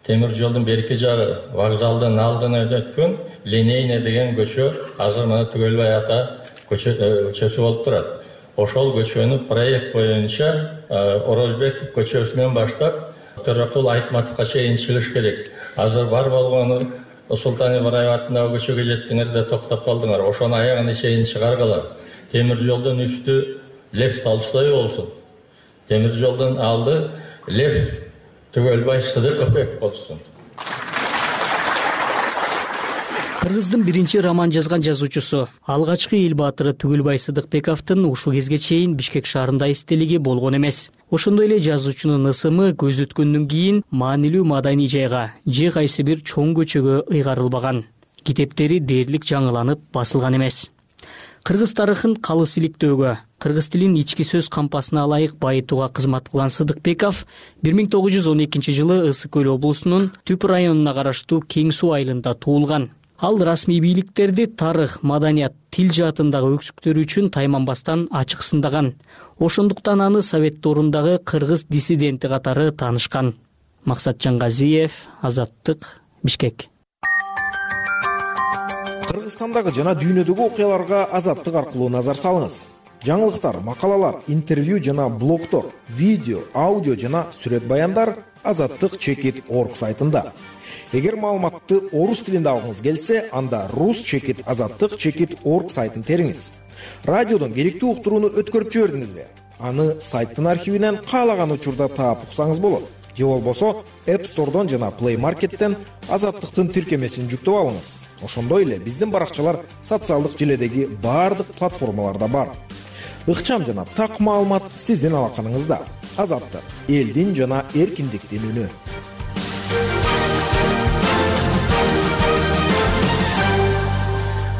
Темир жолдун берки жагы вокзалдын алдына өткөн Линейный деген көчө азыр мына Түгөлбай ата көчөсү болуп турат. Ошол көчөнү проект боюнча Орозбек көчөсүнөн баштап Төрөкул Айтматовго чейин чыгыш керек. Азыр бар болгону Султан Ибраев атындагы көчөгө жеттиңер да токтоп калдыңар. Ошону аягына чейин чыгаргыла. Темир жолдун үстү Лев Толстой болсун. Темир жолдун алды Лев Түгөлбай Сыдыкбек болсун.
Кыргыздын биринчи роман жазган жазуучусу, алгачкы эл баатыры Түгүлбай Сыдыкбековдун ушул кезге чейин Бишкек шаарында эстелиги болгон эмес. Ошондой эле жазуучунун ысымы көз өткөндөн кийин маанилүү маданий жайга же кайсы бир чоң көчөгө ыйгарылбаган. Китептери дээрлик жаңыланып басылган эмес. Кыргыз тарыхын калыс иликтөөгө, кыргыз тилин ички сөз кампасына ылайык байытууга кызмат кылган Сыдыкбеков бир миң тогуз жүз он экинчи жылы Ысык көл облусунун Түп районуна караштуу Кең суу айылында туулган. Ал расмий бийликтерди тарых, маданият, тил жаатындагы өксүктөрү үчүн тайманбастан ачык сындаган. Ошондуктан аны Совет дорундагы кыргыз диссиденти катары таанышкан. Максат Жаңгазиев, Азаттык, Бишкек.
Кыргызстандагы жана дүйнөдөгү окуяларга Азаттык аркылуу назар салыңыз. Жаңылыктар, макалалар, интервью жана блогтор, видео, аудио жана сүрөт баяндар азаттык чекит точка орг сайтында. Эгер маалыматты орус тилинде алгыңыз келсе, анда рус чекит азаттык чекит точка орг сайтын териңиз. Радиодон керектүү уктурууну өткөрүп жибердиңизби? Аны сайттын архивинен каалаган учурда таап уксаңыз болот. Же болбосо App Store'дон жана Play Market'тен азаттыктын тиркемесин жүктөп алыңыз. Ошондой эле биздин баракчалар социалдык желедеги баардык платформаларда бар. Ыкчам жана так маалымат сиздин алаканыңызда. Азаттык — элдин жана эркиндиктин үнү.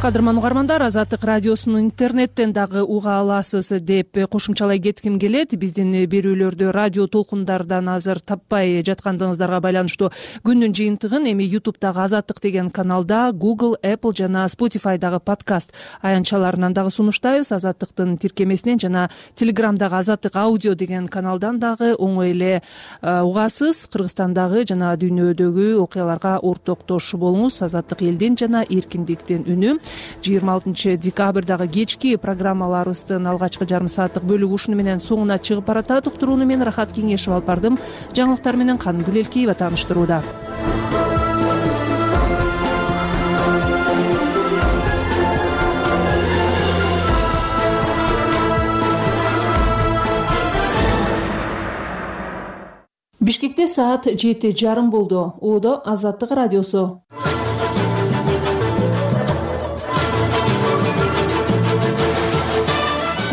кадырман угармандар, Азаттык радиосун интернеттен дагы уга аласыз деп кошумчалай кетким келет. Биздин берүүлөрдү радио толкундардан азыр таппай жаткандыгыңыздарга байланыштуу күндүн жыйынтыгын эми ютубтагы Азаттык деген каналда, Google, Apple жана Spotify'дагы подкаст аянтчаларынан дагы сунуштайбыз. Азаттыктын тиркемесинен жана Телеграмдагы Азаттык аудио деген каналдан дагы оңой эле угасыз. Кыргызстандагы жана дүйнөдөгү окуяларга ортоктош болуңуз. Азаттык элдин жана эркиндиктин үнү. жыйырма алтынчы декабрдагы кечки программаларыбыздын алгачкы жарым сааттык бөлүгү ушуну менен соңуна чыгып баратат. Уктурууну мен Рахат Кеңешева алып бардым. Жаңылыктар менен Каным Гүлелкеева тааныштырууда. Бишкекте саат жети жарым болду. Оодо Азаттык радиосу.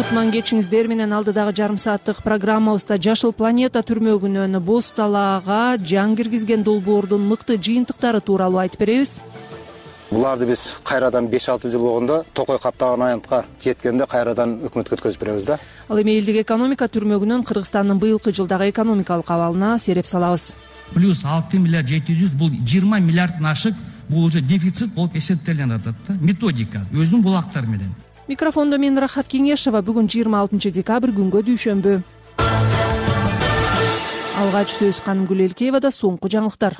Кутман кечиңиздер менен алдыдагы жарым сааттык программабызда Жашыл планета түрмөгүнөн боз талаага жан киргизген долбоордун мыкты жыйынтыктары тууралуу айтып беребиз.
Буларды биз кайрадан беш алты жыл болгондо токой каптаган аянтка жеткенде кайрадан өкмөткө өткөзүп беребиз да.
Ал эми элдик экономика түрмөгүнөн Кыргызстандын быйылкы жылдагы экономикалык абалына сереп салабыз.
Плюс алты миллиард жети жүз бул жыйырма миллиардтын ашык, бул уже дефицит болуп эсептелген атат да. Методика өзүнүн булактары менен.
Микрофондо мен Рахат Кеңешева. Бүгүн жыйырма алтынчы декабрь күнгө дүйшөмбү. Алгач сөз Каным Гүлелкеевада. Соңку жаңылыктар.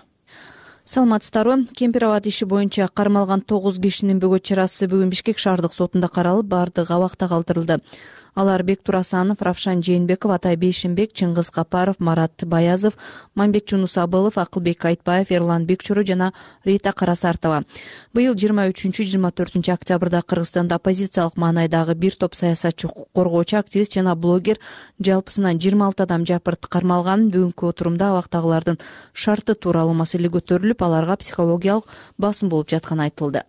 Саламатсыздарбы? Кемпир абад иши боюнча кармалган тогуз кишинин бөгөт чарасы бүгүн Бишкек шаардык сотунда каралып, бардыгы абакта калтырылды. Алар Бектур Асанов, Равшан Жээнбеков, Атай Бейшенбек, Чыңгыз Капаров, Марат Баязов, Мамбет Жунус Абылов, Акылбек Айтбаев, Эрлан Бекчуру жана Рита Карасартова. Быйыл жыйырма үчүнчү жыйырма төртүнчү октябрда Кыргызстанда оппозициялык маанайдагы бир топ саясатчы, коргоочу, активист жана блогер жалпысынан жыйырма алты адам жапырт кармалган. Бүгүнкү отурумда абактагылардын шарты тууралуу маселе көтөрүлүп, аларга психологиялык басым болуп жатканы айтылды.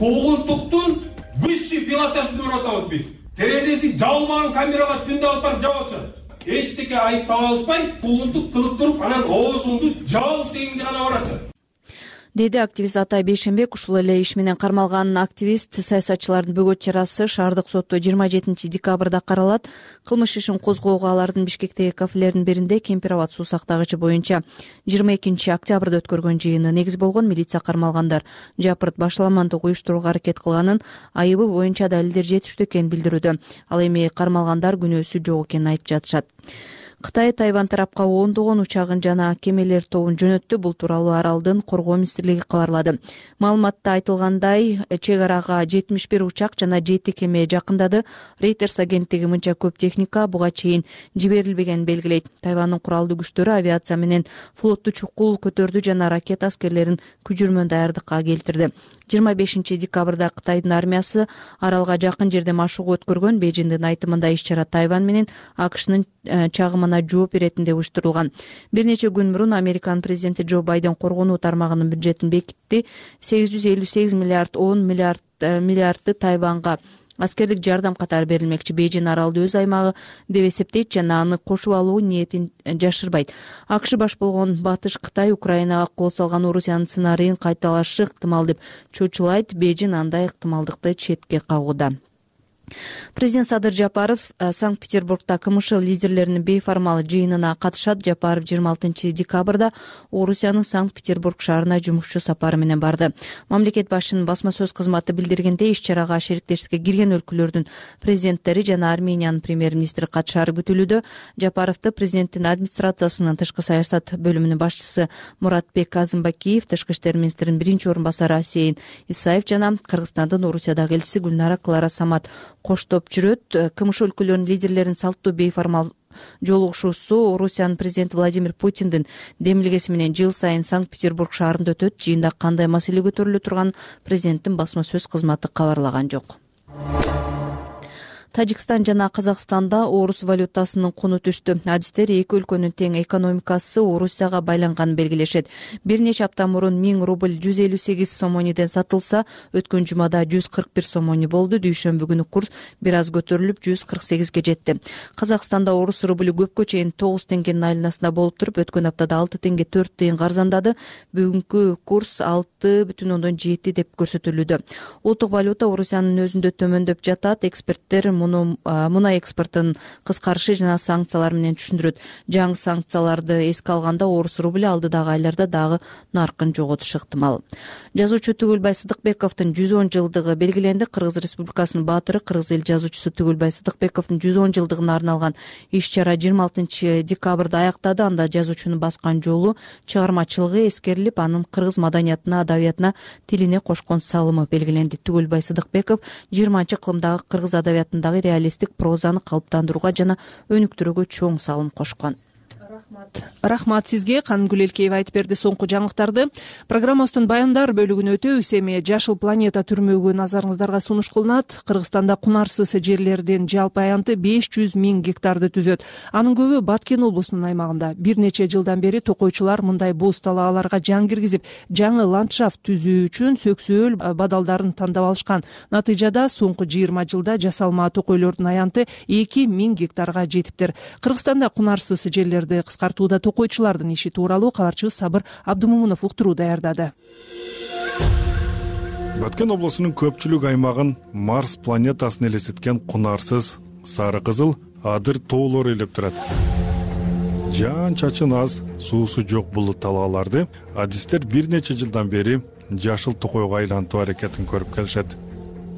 Куугунтуктун высший пилотажын оратабыз биз. Терезеси жабылмаган камерага түндө алып барып жабып атышат. Эчтеке айып таба алышпай, куугунтук кылып туруп, анан оозуңду жабып сегиңди гана баратышат.
Деди активист Атай Бейшенбек. Ушул эле иш менен кармалган активист саясатчылардын бөгөт чарасы шаардык сотто жыйырма жетинчи декабрда каралат. Кылмыш ишин козгоого алардын Бишкектеги кафелердин биринде Кемпир абад суу сактагычы боюнча жыйырма экинчи октябрда өткөргөн жыйыны негиз болгон. Милиция кармалгандар жапырт башаламандык уюштурууга аракет кылганын, айыбы боюнча далилдер жетиштүү экенин билдирүүдө. Ал эми кармалгандар күнөөсү жок экенин айтып жатышат. Кытай Тайвань тарапка ондогон учагын жана кемелер тобун жөнөттү. Бул тууралуу аралдын коргоо министрлиги кабарлады. Маалыматта айтылгандай, чек арага жетимиш бир учак жана жети кеме жакындады. Reuters агенттиги мынча көп техника буга чейин жиберилбегенин белгилейт. Тайвандын куралдуу күчтөрү авиация менен флотту чукул көтөрдү жана ракета аскерлерин күчүрмөн даярдыкка келтирди. жыйырма бешинчи декабрда Кытайдын армиясы аралга жакын жерде машыгуу өткөргөн. Бейжиңдин айтымында иш-чара Тайвань менен АКШнын чагымына жооп беретин деп уюштурулган. Бир нече күн мурун Американын президенти Джо Байден коргонуу тармагынын бюджетин бекитти. сегиз жүз элүү сегиз миллиард он миллиард миллиардты Тайванга аскерлик жардам катары берилмекчи. Бейжиң аралды өз аймагы деп эсептейт жана аны кошуп алуу ниетин жашырбайт. АКШ баш болгон Батыш Кытай Украинага кол салган Орусиянын сценарийин кайталашы ыктымал деп чочулайт. Бейжиң андай ыктымалдыкты четке кагууда. Президент Садыр Жапаров Санкт-Петербургда КМШ лидерлеринин бейформал жыйынына катышат. Жапаров жыйырма алтынчы декабрда Орусиянын Санкт-Петербург шаарына жумушчу сапары менен барды. Мамлекет башчынын басма сөз кызматы билдиргендей, иш-чарага шериктештикке кирген өлкөлөрдүн президенттери жана Армениянын премьер-министри катышары күтүлүүдө. Жапаровду президенттин администрациясынын тышкы саясат бөлүмүнүн башчысы Муратбек Азымбакиев, тышкы иштер министринин биринчи орун басары Асейин Исаев жана Кыргызстандын Орусиядагы элчиси Гүлнара Клара Самат коштоп жүрөт. КМШ өлкөлөрүнүн лидерлеринин салттуу бейформал жолугушуусу Орусиянын президенти Владимир Путиндин демилгеси менен жыл сайын Санкт-Петербург шаарында өтөт. Жыйында кандай маселе көтөрүлө турганын президенттин басма сөз кызматы кабарлаган жок. Тажикстан жана Казакстанда орус валютасынын куну түштү. Адистер эки өлкөнүн тең экономикасы Орусияга байланганын белгилешет. Бир нече апта мурун миң рубль жүз элүү сегиз сомониден сатылса, өткөн жумада жүз кырк бир сомони болду. Дүйшөмбү күнү курс бир аз көтөрүлүп жүз кырк сегизге жетти. Казакстанда орус рублю көпкө чейин тогуз теңгенин айланасында болуп туруп, өткөн аптада алты теңге төрт тыйынга арзандады. Бүгүнкү курс алты бүтүн ондон жети деп көрсөтүлүүдө. Улуттук валюта Орусиянын өзүндө төмөндөп жатат. Эксперттер муну мунай экспортун кыскарышы жана санкциялар менен түшүндүрөт. Жаңы санкцияларды эске алганда орус рублю алдыдагы айларда дагы наркын жоготушу ыктымал. Жазуучу Түгүлбай Сыдыкбековдун жүз он жылдыгы белгиленди. Кыргыз Республикасынын баатыры, Кыргыз эл жазуучусу Түгүлбай Сыдыкбековдун жүз он жылдыгына арналган иш-чара жыйырма алтынчы декабрда аяктады. Анда жазуучунун баскан жолу, чыгармачылыгы эскерилип, анын кыргыз маданиятына, адабиятына, тилине кошкон салымы белгиленди. Түгүлбай Сыдыкбеков жыйырманчы кылымдагы кыргыз адабиятындагы реалисттик прозаны калыптандырууга жана өнүктүрүүгө чоң салым кошкон. Рахмат сизге. Канымгүл Элкеева айтып берди соңку жаңылыктарды. Программабыздын баяндар бөлүгүнө өтөбүз. Эми Жашыл планета түрмөгү назарыңыздарга сунуш кылынат. Кыргызстанда кунарсыз жерлердин жалпы аянты беш жүз миң гектарды түзөт. Анын көбү Баткен облусунун аймагында. Бир нече жылдан бери токойчулар мындай боз талааларга жан киргизип, жаңы ландшафт түзүү үчүн сөксөөл бадалдарын тандап алышкан. Натыйжада соңку жыйырма жылда жасалма токойлордун аянты эки миң гектарга жетиптир. Кыргызстанда кунарсыз жерлерди кыскартууда токойчулардын иши тууралуу кабарчыбыз Сабыр Абдымомунов уктуруу даярдады.
Баткен облусунун көпчүлүк аймагын Марс планетасын элестеткен кунарсыз сары кызыл адыр тоолор ээлеп турат. Жан чачын аз, суусу жок бул талааларды адистер бир нече жылдан бери жашыл токойго айлантуу аракетин көрүп келишет.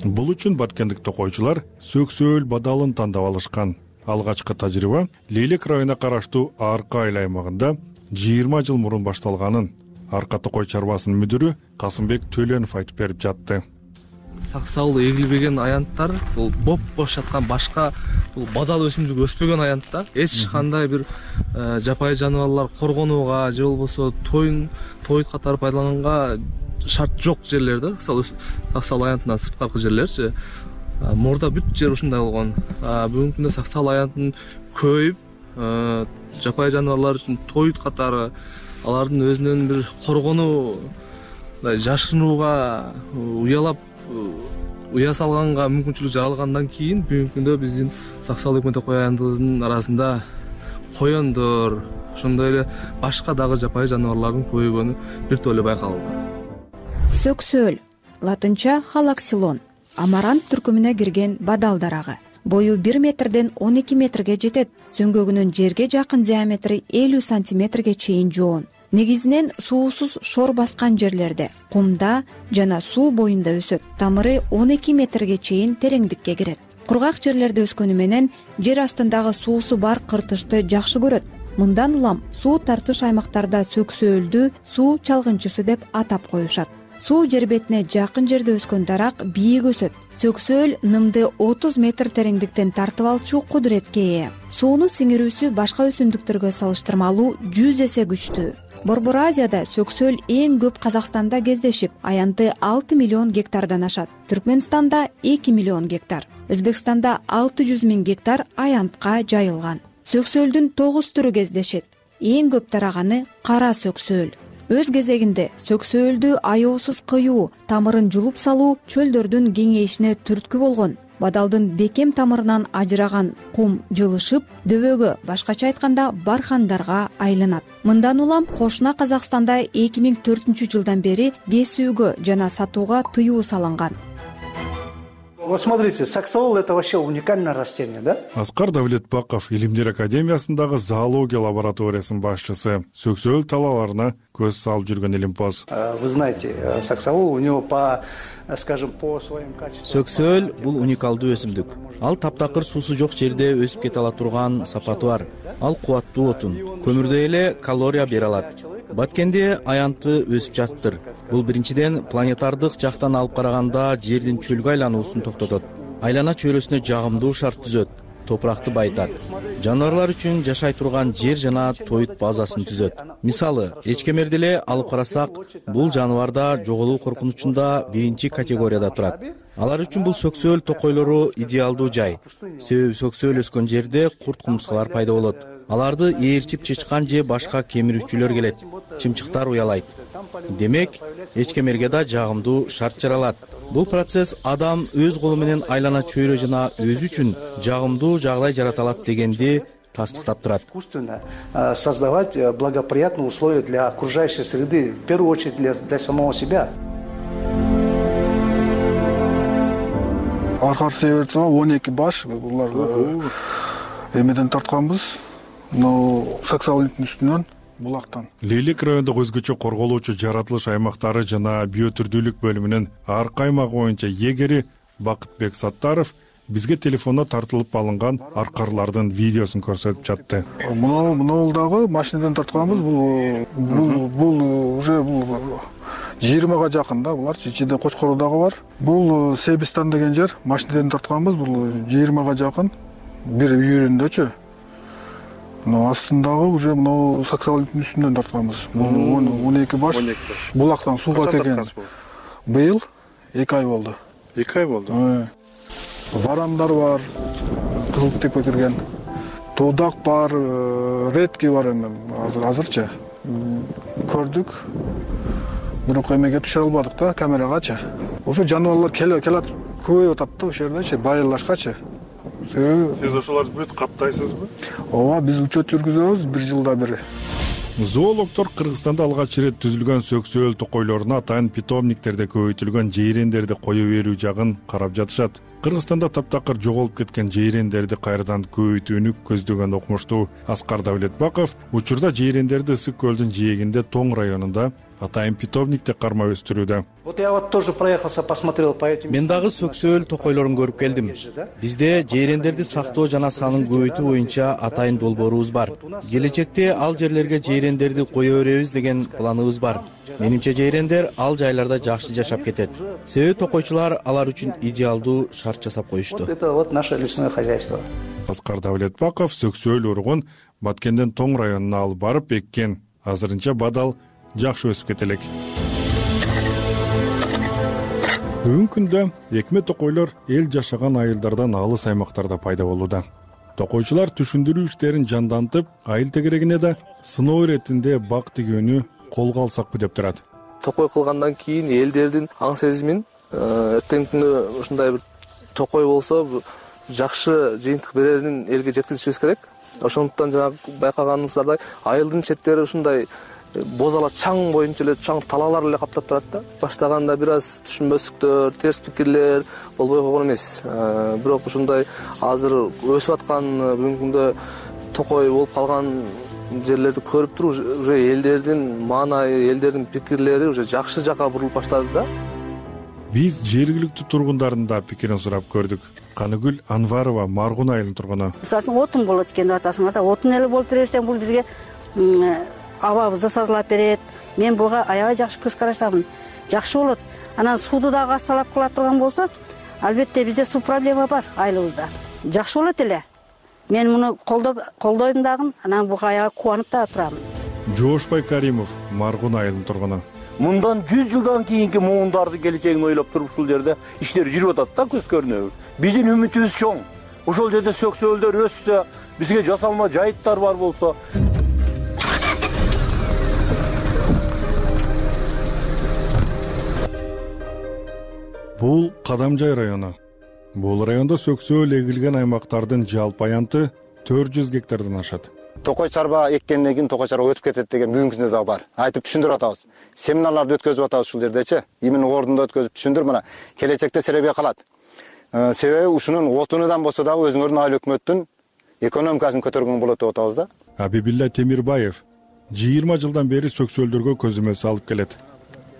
Бул үчүн баткендик токойчулар сөксөөл бадалын тандап алышкан. Алгачкы тажрыйба Лейлек районуна караштуу Арка айыл аймагында жыйырма жыл мурун башталганын Арка токой чарбасынын мүдүрү Касымбек Төленов айтып берип жатты.
Саксал эгилбеген аянттар, бул боп бош жаткан башка бул бадал өсүмдүк өспөгөн аянттар эч кандай бир жапайы жаныбарлар коргонууга же болбосо тоюн тоют катары пайдаланганга шарт жок жерлер да, саксал аянтынан сырткаркы жерлерчи. Мурда бүт жер ушундай болгон. Бүгүнкү күндө саксал аянтын көйүп, жапайы жаныбарлар үчүн тоют катары алардын өзүнөн бир коргонуу, жашырынууга, уялап уя салганга мүмкүнчүлүк жаралгандан кийин бүгүнкү күндө биздин саксал өкмөт токой аянтыбыздын арасында коёндор, ошондой эле башка дагы жапайы жаныбарлардын көбөйгөнү бир топ эле байкалды.
Сөксөөл, латынча халаксилон, амарант түркүмүнө кирген бадал дарагы. Бою бир метрден он эки метрге жетет. Сөңгөгүнүн жерге жакын диаметри элүү сантиметрге чейин жоон. Негизинен суусуз шор баскан жерлерде, кумда жана суу боюнда өсөт. Тамыры он эки метрге чейин тереңдикке кирет. Кургак жерлерде өскөнү менен жер астындагы суусу бар кыртышты жакшы көрөт. Мындан улам суу тартыш аймактарда сөксөөлдү суу чалгынчысы деп атап коюшат. Суу жер бетине жакын жерде өскөн дарак бийик өсөт. Сөксөөл нымды отуз метр тереңдиктен тартып алчу кудуретке ээ. Сууну сиңирүүсү башка өсүмдүктөргө салыштырмалуу жүз эсе күчтүү. Борбор Азияда сөксөөл эң көп Казакстанда кездешип, аянты алты миллион гектардан ашат. Түркмөнстанда эки миллион гектар. Өзбекстанда алты жүз миң гектар аянтка жайылган. Сөксөөлдүн тогуз түрү кездешет. Эң көп тараганы кара сөксөөл. Өз кезегинде сөксөөлдү аяосуз кыюу, тамырын жулуп салуу чөлдөрдүн кеңейишине түрткү болгон. Бадалдын бекем тамырынан ажыраган кум жылышып, дөбөгө, башкача айтканда бархандарга айланат. Мындан улам кошуна Казакстанда эки миң төртүнчү жылдан бери кесүүгө жана сатууга тыюу салынган.
Вот смотрите, саксаол — это вообще уникальное растение, да?
Аскар Давлетбаков Илимдер академиясындагы зоология лабораториясынын башчысы. Сөксөөл талааларына көз салып жүргөн илимпоз.
Вы знаете, саксаол у него по, скажем, по своим качествам.
Сөксөөл бул уникалдуу өсүмдүк. Ал таптакыр суусу жок жерде өсүп кете ала турган сапаты бар. Ал кубаттуу отун, көмүрдөй эле калория бере алат. Баткенде аянты өсүп жатыптыр. Бул биринчиден планетардык жактан алып караганда жердин чөлгө айлануусун токтотот. Айлана чөйрөсүнө жагымдуу шарт түзөт. топуракты байытат, жаныбарлар үчүн жашай турган жер жана тоют базасын түзөт. Мисалы, эчкемерди эле алып карасак, бул жаныбар да жоголуу коркунучунда биринчи категорияда турат. Алар үчүн бул сөксөөл токойлору идеалдуу жай. Себеби сөксөөл өскөн жерде курт кумурскалар пайда болот. Аларды ээрчип чычкан же башка кемирүүчүлөр келет. Чымчыктар уялайт. Демек, эчкемерге да жагымдуу шарт жаралат. Бул процесс адам өз колу менен айлана чөйрө жана өзү үчүн жагымдуу жагдай жарата алат дегенди тастыктап турат.
Создавать благоприятные условия для окружающей среды, в первую очередь для, для самого себя.
Аркар себерсе он эки баш булар эмеден тартканбыз. Но саксаулиттин үстүнөн булактан.
Лейлек райондук өзгөчө корголуучу жаратылыш аймактары жана биотүрдүүлүк бөлүмүнүн ар каймагы боюнча эгери Бакытбек Саттаров бизге телефондо тартылып алынган аркарлардын видеосун көрсөтүп жатты.
Мына мына дагы машинадан тартканбыз. Бул бул бул уже бул жыйырмага жакын да, булар ичинде Кочкору дагы бар. Бул Себистан деген жер, машинадан тартканбыз. Бул жыйырмага жакын бир үйүрүндөчү. Но астындагы уже мына саксаулиттин үстүнөн тартканбыз. Бул он эки баш булактан сууга келген. Быйыл эки ай болду.
эки ай болду.
Варандар бар, кызыл тепе кирген. Тоодак бар, редки бар эми азырчы. Көрдүк. Бирок эмеге түшө албадык да, камерагачы. Ошо жаныбарлар келет, көбөйүп атат да ошол жердечи, байырлашкачы.
Сиз ошолорду бүт каптайсызбы?
Ооба, биз учет жүргүзөбүз бир жылда бир.
Зоологдор Кыргызстанда алгач ирет түзүлгөн сөксөөл токойлоруна атайын питомниктерде көбөйтүлгөн жейрендерди кое берүү жагын карап жатышат. Кыргызстанда таптакыр жоголуп кеткен жейрендерди кайрадан көбөйтүүнү көздөгөн окумуштуу Аскар Давлетбаков учурда жейрендерди Ысык көлдүн жээгинде Тоң районунда атайын питомникте карма өстүрүүдө.
Вот я вот тоже проехался, посмотрел по этим.
Мен дагы сөксөөл токойлорун көрүп келдим. Бизде жейрендерди сактоо жана санын көбөйтүү боюнча атайын долбоорубуз бар. Келечекте ал жерлерге жейрендерди кое беребиз деген планыбыз бар. Менимче жейрендер ал жайларда жакшы жашап кетет. Себеби токойчулар алар үчүн идеалдуу шарт жасап коюшту.
Вот это вот наше лесное хозяйство.
Аскар Давлетбаков сөксөөл уругун Баткенден Тоң районуна алып барып эккен. Азырынча бадал жакшы өсүп кетелек. Бүгүнкү күндө экме токойлор эл жашаган айылдардан алыс аймактарда пайда болууда. Токойчулар түшүндүрүү иштерин жандантып, айыл тегерегине да сыноо иретинде бак тигүүнү колго алсакпы деп турат.
Токой кылгандан кийин элдердин аң сезимин эртеңки күнү ушундай бир токой болсо жакшы жыйынтык берерин элге жеткизишибиз керек. Ошондуктан жана байкаганыңыздардай айылдын четтери ушундай боз ала чаң боюнча эле чаң талаалар эле каптап турат да. Баштаганда бир аз түшүнбөстүктөр, терс пикирлер болбой койгон эмес. Бирок ушундай азыр өсүп аткан бүгүнкү күндө токой болуп калган жерлерди көрүп туруп, уже элдердин маанайы, элдердин пикирлери уже жакшы жакка бурулуп баштады да.
Биз жергиликтүү тургундардын да пикирин сурап көрдүк. Каныгүл Анварова Маргун айылынын тургуну.
Мисалы болот болот экен деп атасыңар да, отун эле болуп берсең бул бизге абабызды тазалап берет. Мен буга аябай жакшы көз караштамын. Жакшы болот. Анан сууду дагы асталап кыла турган болсо, албетте бизде суу проблема бар айылыбызда. Жакшы болот эле. Мен муну колдоп колдойм дагы, анан буга аябай кубанып да турамын.
Жоошбай Каримов Маргун айылынын тургуну.
Мындан жүз жылдан кийинки муундардын келечегин ойлоп туруп ушул жерде иштер жүрүп атат да, көз көрүнөбү. Биздин үмүтүбүз чоң. Ошол жерде сөксөөлдөр өссө, бизге жасалма жайыттар бар болсо.
Бул Кадамжай району. Бул райондо сөксөөл эгилген аймактардын жалпы аянты төрт жүз гектардан ашат.
Токой чарба эккенден кийин токой чарба өтүп кетет деген бүгүнкү күндө дагы бар. Айтып түшүндүрүп атабыз. Семинарларды өткөзүп атабыз ушул жердечи. Именно ордунда өткөзүп түшүндүр, мына келечекте серебе калат. Себеби ушунун отунудан болсо дагы өзүңөрдүн айыл өкмөттүн экономикасын көтөргөн болот деп атабыз да.
Абибилла Темирбаев жыйырма жылдан бери сөксөөлдөргө көзөмөл салып келет.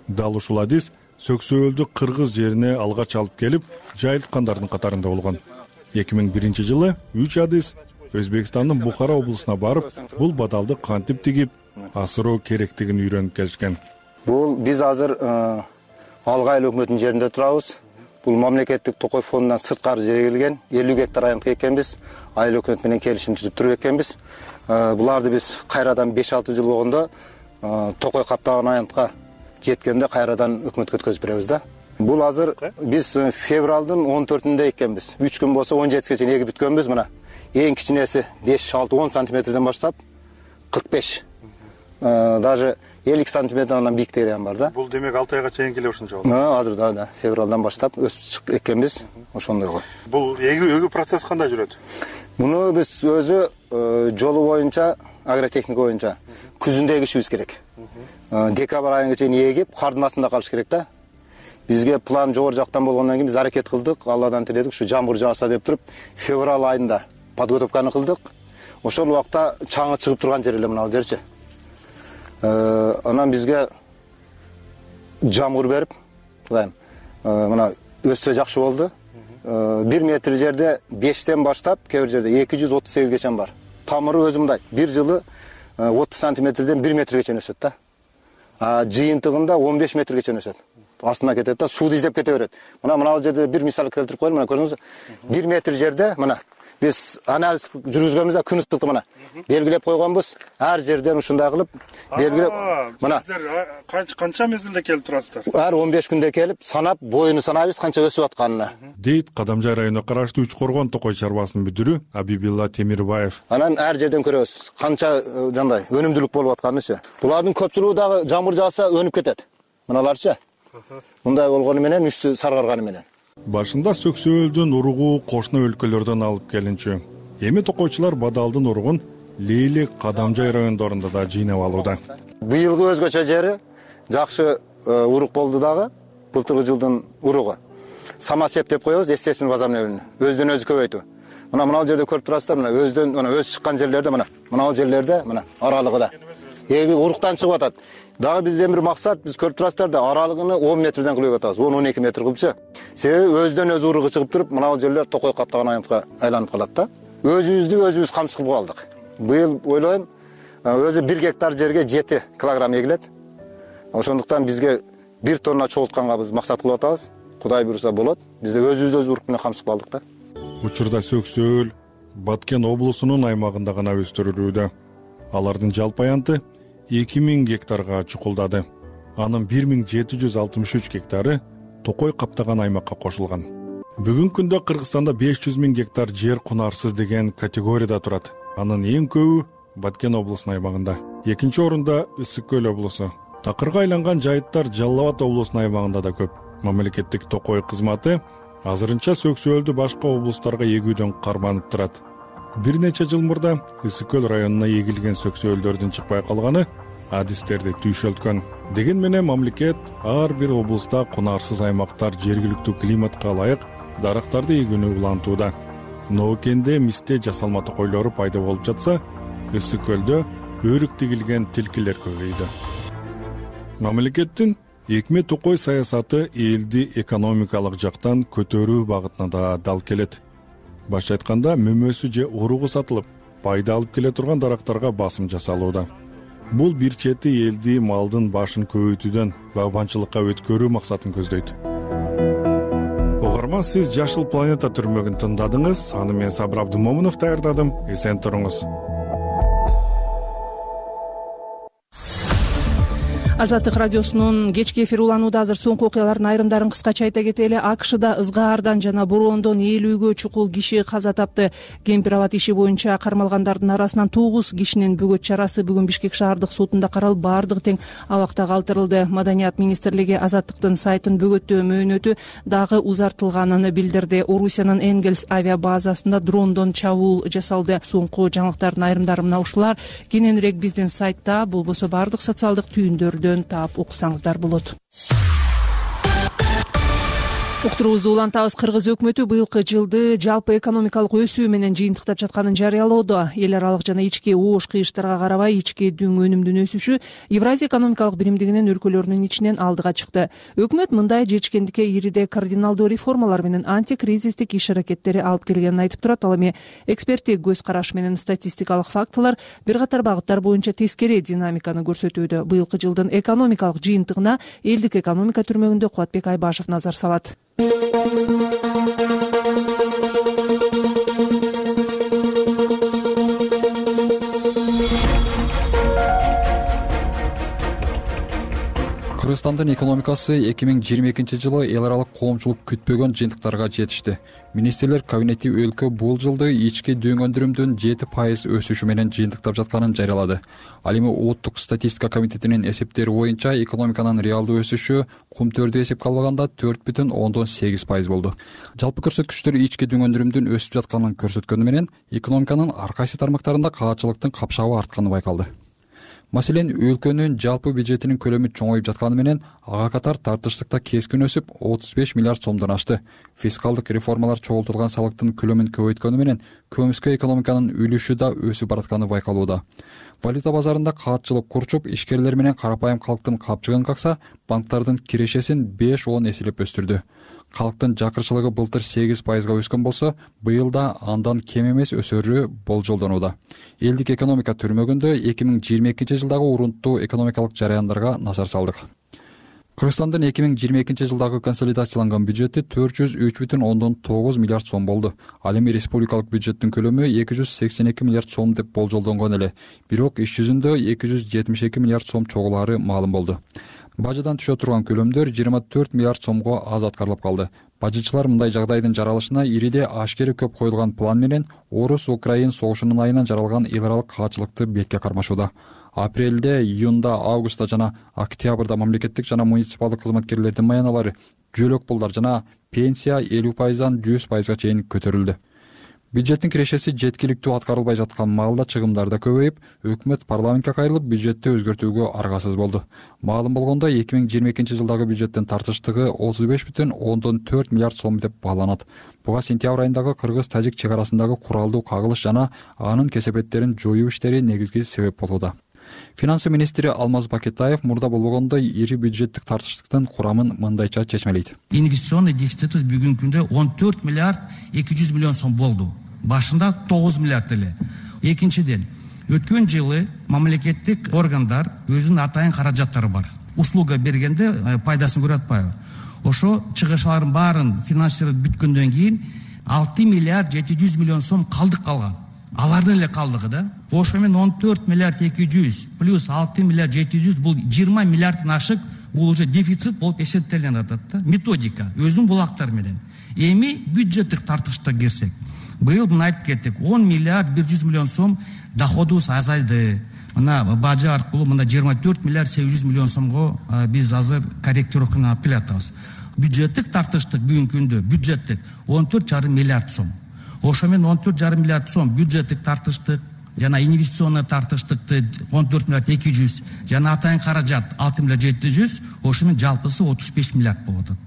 Дал ушул адис сөксөөлдү кыргыз жерине алгач алып келип, жайылткандардын катарында болгон. эки миң биринчи жылы үч адис Өзбекстандын Бухара облусуна барып, бул бадалды кантип тигип, асыроо керектигин үйрөнүп келишкен.
Бул биз азыр Алга айыл өкмөтүнүн жеринде турабыз. бул мамлекеттик токой фондунан сырткары жерге келген элүү гектар аянтка эккенбиз. Айыл өкмөт менен келишим түзүп туруп эккенбиз. Буларды биз кайрадан беш алты жыл болгондо токой каптаган аянтка жеткенде кайрадан өкмөткө өткөзүп беребиз да. Бул азыр биз февралдын он төртүндө эккенбиз. үч күн болсо он жетиге чейин эгип бүткөнбүз мына. Эң кичинеси беш алты он сантиметрден баштап кырк беш. Даже элүү сантиметрдан бийиктери ham бар да.
Бул демек алты айга чейин келе ушунча болду.
Азыр да, да, февралдан баштап өсүп эккенбиз, ошондой.
Бул эгүү эгүү процесс кандай жүрөт?
Муну биз өзү жолу боюнча, агротехника боюнча күзүндө эгишибиз керек. Декабрь айына чейин эгип, кардын астында калыш керек да. Бизге план жогору жактан болгондон кийин биз аракет кылдык, Алладан тиледик, ушу жамгыр жааса деп туруп, февраль айында подготовканы кылдык. Ошол убакта чаңы чыгып турган жер эле мына жерчи. Анан бизге жамгыр берип, кудайым, мына өссө жакшы болду. бир метр жерде бештен баштап, кээ бир жерде эки жүз отуз сегизге бар. Тамыры өзү мындай, бир жылы отуз сантиметрден бир метрге чейин өсөт да. А жыйынтыгында он беш метрге чейин өсөт. Астына кетет да, сууду издеп кете берет. Мына мына жерде бир мисал келтирип коеюн, мына көрдүңүзбү? бир метр жерде мына биз анализ жүргүзгөнбүз да, күн ыстыкты мына белгилеп койгонбуз. Ар жерден ушундай кылып белгилеп мына.
Сиздер канча канча мезгилде келип турасыздар?
Ар он беш күндө келип, санап, боюну санайбыз, канча өсүп атканына.
Дейт Кадамжай районуна караштуу Үч Коргон токой чарбасынын мүдүрү Абибилла Темирбаев.
Анан ар жерден көрөбүз канча жандай өнүмдүүлүк болуп атканынчы. Булардын көпчүлүгү дагы жамгыр жааса өнүп кетет. Мыналарчы. Мындай болгону менен үстү саргарганы менен.
Башында сөксөөлдүн уругу кошуна өлкөлөрдөн алып келинчү. Эми токойчулар бадалдын уругун Лейлек Кадамжай райондорунда да жыйнап алууда.
Быйылгы өзгөчө жери жакшы урук болду дагы. Былтыркы жылдын уругу. Самосеп деп коебуз, естественный возобновление. Өздөн өзү көбөйтүү. Мына мына жерде көрүп турасыздар, мына өздөн мына өз чыккан жерлерде мына. Мына жерлерде мына аралыгыда. Эги уруктан чыгып атат. Дагы бизден бир максат, биз көрүп турасыздар да аралыгын он метрден кылып атабыз. он он эки метр кылыпчы. Себеби өздөн өзү уругу чыгып туруп, мына жерлер токой каптаган аянтка айланып калат да. Өзүбүздү өзүбүз камсыз кылып алдык. Быйыл ойлойм, өзү бир гектар жерге жети килограмм эгилет. Ошондуктан бизге бир тонна чогултканга биз максат кылып атабыз. Кудай буйруса болот. Бизде өзүбүздү өз урук менен камсыз кылып алдык да.
Учурда сөксөөл Баткен облусунун аймагында гана өстүрүлүүдө. Алардын жалпы аянты эки миң гектарга чукулдады. Анын бир миң жети жүз алтымыш үч гектары токой каптаган аймакка кошулган. Бүгүнкү күндө Кыргызстанда беш жүз миң гектар жер кунарсыз деген категорияда турат. Анын эң көбү Баткен облусунун аймагында. Экинчи орунда Ысык көл облусу. Такырга айланган жайыттар Жалал Абад облусунун аймагында да көп. Мамлекеттик токой кызматы азырынча сөксөөлдү башка облустарга эгүүдөн карманып турат. Бир нече жыл мурда Ысык көл районуна эгилген сөксөөлдөрдүн чыкпай калганы адистерди түйшөлткөн. Деген менен мамлекет ар бир облуста кунарсыз аймактар жергиликтүү климатка ылайык дарактарды эгүүнү улантууда. Ноокенде мисте жасалма токойлору пайда болуп жатса, Ысык көлдө өрүк тигилген тилкилер көбөйдү. Мамлекеттин экме токой саясаты элди экономикалык жактан көтөрүү багытына да дал келет. Башка айтканда, мөмөсү же уругу сатылып, пайда алып келе турган дарактарга басым жасалууда. Бул бир чети элди малдын башын көбөйтүүдөн багбанчылыкка өткөрүү максатын көздөйт. Угарман, сиз Жашыл планета түрмөгүн тыңдадыңыз. Аны мен Сабыр Абдымомунов даярдадым. Эсен туруңуз.
Азаттык радиосунун кечки эфир уланууда азыр соңку окуялардын айрымдарын кыскача айта кетели. АКШда ызгаардан жана бороондон элүүгө чукул киши каза тапты. Кемпир абад иши боюнча кармалгандардын арасынан тогуз кишинин бөгөт чарасы бүгүн Бишкек шаардык сотунда каралып, баардыгы тең абакта калтырылды. Маданият министрлиги Азаттыктын сайтын бөгөттөө мөөнөтү дагы узартылганын билдирди. Орусиянын Энгельс авиабазасында дрондон чабуул жасалды. Соңку жаңылыктардын айрымдары мына ушулар. Кененирээк биздин сайтта, болбосо баардык социалдык түйүндөрдө таап уксаңыздар болот. Уктуруубузду улантабыз. Кыргыз өкмөтү быйылкы жылды жалпы экономикалык өсүү менен жыйынтыктап жатканын жарыялоодо. Эл аралык жана ички оош кыйыштарга карабай, ички дүң өнүмдүн өсүшү Евразия экономикалык биримдигинин өлкөлөрүнүн ичинен алдыга чыкты. Өкмөт мындай жечкендикке ириде кардиналдуу реформалар менен антикризистик иш аракеттери алып келгенин айтып турат. Ал эми эксперттик көз караш менен статистикалык фактылар бир катар багыттар боюнча тескери динамиканы көрсөтүүдө. Быйылкы жылдын экономикалык жыйынтыгына элдик экономика түрмөгүндө Кубатбек Айбашев назар салат.
Кыргызстандын экономикасы эки миң жыйырма экинчи жылы эл аралык коомчулук күтпөгөн жыйынтыктарга жетишти. Министрлер кабинети өлкө бул жылды ички дөң өндүрүмдүн жети пайыз өсүшү менен жыйынтыктап жатканын жарыялады. Ал эми Улуттук статистика комитетинин эсептери боюнча экономиканын реалдуу өсүшү кумтөрдү эсепке албаганда төрт бүтүн ондон сегиз пайыз болду. Жалпы көрсөткүчтөр ички дөң өндүрүмдүн өсүп жатканын көрсөткөнү менен экономиканын ар кайсы тармактарында каатчылыктын капшабы артканы байкалды. Маселен, өлкөнүн жалпы бюджетинин көлөмү чоңоюп жатканы менен ага катар тартыштыкта кескин өсүп отуз беш миллиард сомдон ашты. Фискалдык реформалар чогултулган салыктын көлөмүн көбөйткөнү менен көмүскө экономиканын үлүшү да өсүп баратканы байкалууда. Валюта базарында каатчылык курчуп, ишкерлер менен карапайым калктын капчыгын какса, банктардын кирешесин беш он эселеп өстүрдү. Калктын жакырчылыгы былтыр сегиз пайызга өскөн болсо, быйыл да андан кем эмес өсөрү болжолдонууда. Элдик экономика түрмөгүндө эки миң жыйырма экинчи жылдагы урунттуу экономикалык жараяндарга назар салдык. Кыргызстандын эки миң жыйырма экинчи жылдагы консолидацияланган бюджети төрт жүз үч бүтүн ондон тогуз миллиард сом болду. Ал эми республикалык бюджеттин көлөмү эки жүз сексен эки миллиард сом деп болжолдонгон эле. Бирок иш жүзүндө эки жүз жетимиш эки миллиард сом чогулаары маалым болду. Бажадан түшө турган көлөмдөр жыйырма төрт миллиард сомго аз аткарылып калды. Бажычылар мындай жагдайдын жаралышына ириде ашкери көп коюлган план менен Орус-Украин согушунун айынан жаралган эл аралык каатчылыкты бетке кармашууда. Апрелде, июнда, августта жана октябрда мамлекеттик жана муниципалдык кызматкерлердин маяналары, жөлөк пулдар жана пенсия элүү пайыздан жүз пайызга чейин көтөрүлдү. Бюджеттин кирешеси жеткиликтүү аткарылбай жаткан маалда чыгымдар да көбөйүп, өкмөт парламентке кайрылып бюджетти өзгөртүүгө аргасыз болду. Маалым болгондой, эки миң жыйырма экинчи жылдагы бюджеттин тартыштыгы отуз беш бүтүн ондон төрт миллиард сом деп бааланат. Буга сентябрь айындагы кыргыз-тажик чек арасындагы куралдуу кагылыш жана анын кесепеттерин жоюу иштери негизги себеп болууда. Финансы министри Алмаз Бакетаев мурда болбогондой ири бюджеттик тартыштыктын курамын мындайча чечмелейт.
Инвестиционный дефицитибиз бүгүнкү күндө он төрт миллиард эки жүз миллион сом болду. Башында тогуз миллиард эле. Экинчиден, өткөн жылы мамлекеттик органдар өзүнүн атайын каражаттары бар. Услуга бергенде пайдасын көрүп атпайбы? Ошо чыгышлардын баарын финансировать бүткөндөн кийин алты миллиард жети жүз миллион сом калдык калган. Алардын эле калдыгы да. Ошо менен он төрт миллиард эки жүз плюс алты миллиард жети жүз бул жыйырма миллиардтан ашык, бул уже дефицит болуп эсептелген атат да. Методика өзүнүн булактары менен. Эми бюджеттик тартышта кирсек, быйыл мына айтып кеттик, он миллиард бир жүз миллион сом доходубуз азайды. Мына бажы аркылуу мына жыйырма төрт миллиард сегиз жүз миллион сомго биз азыр корректировканы алып келатабыз. Бюджеттик тартыштык бүгүнкү күндө бюджеттик он төрт жарым миллиард сом. Ошо менен он төрт жарым миллиард сом бюджеттик тартыштык жана инвестиционный тартыштыкты он төрт миллиард эки жүз жана атайын каражат алты миллиард жети жүз, ошо менен жалпысы отуз беш миллиард болуп атат.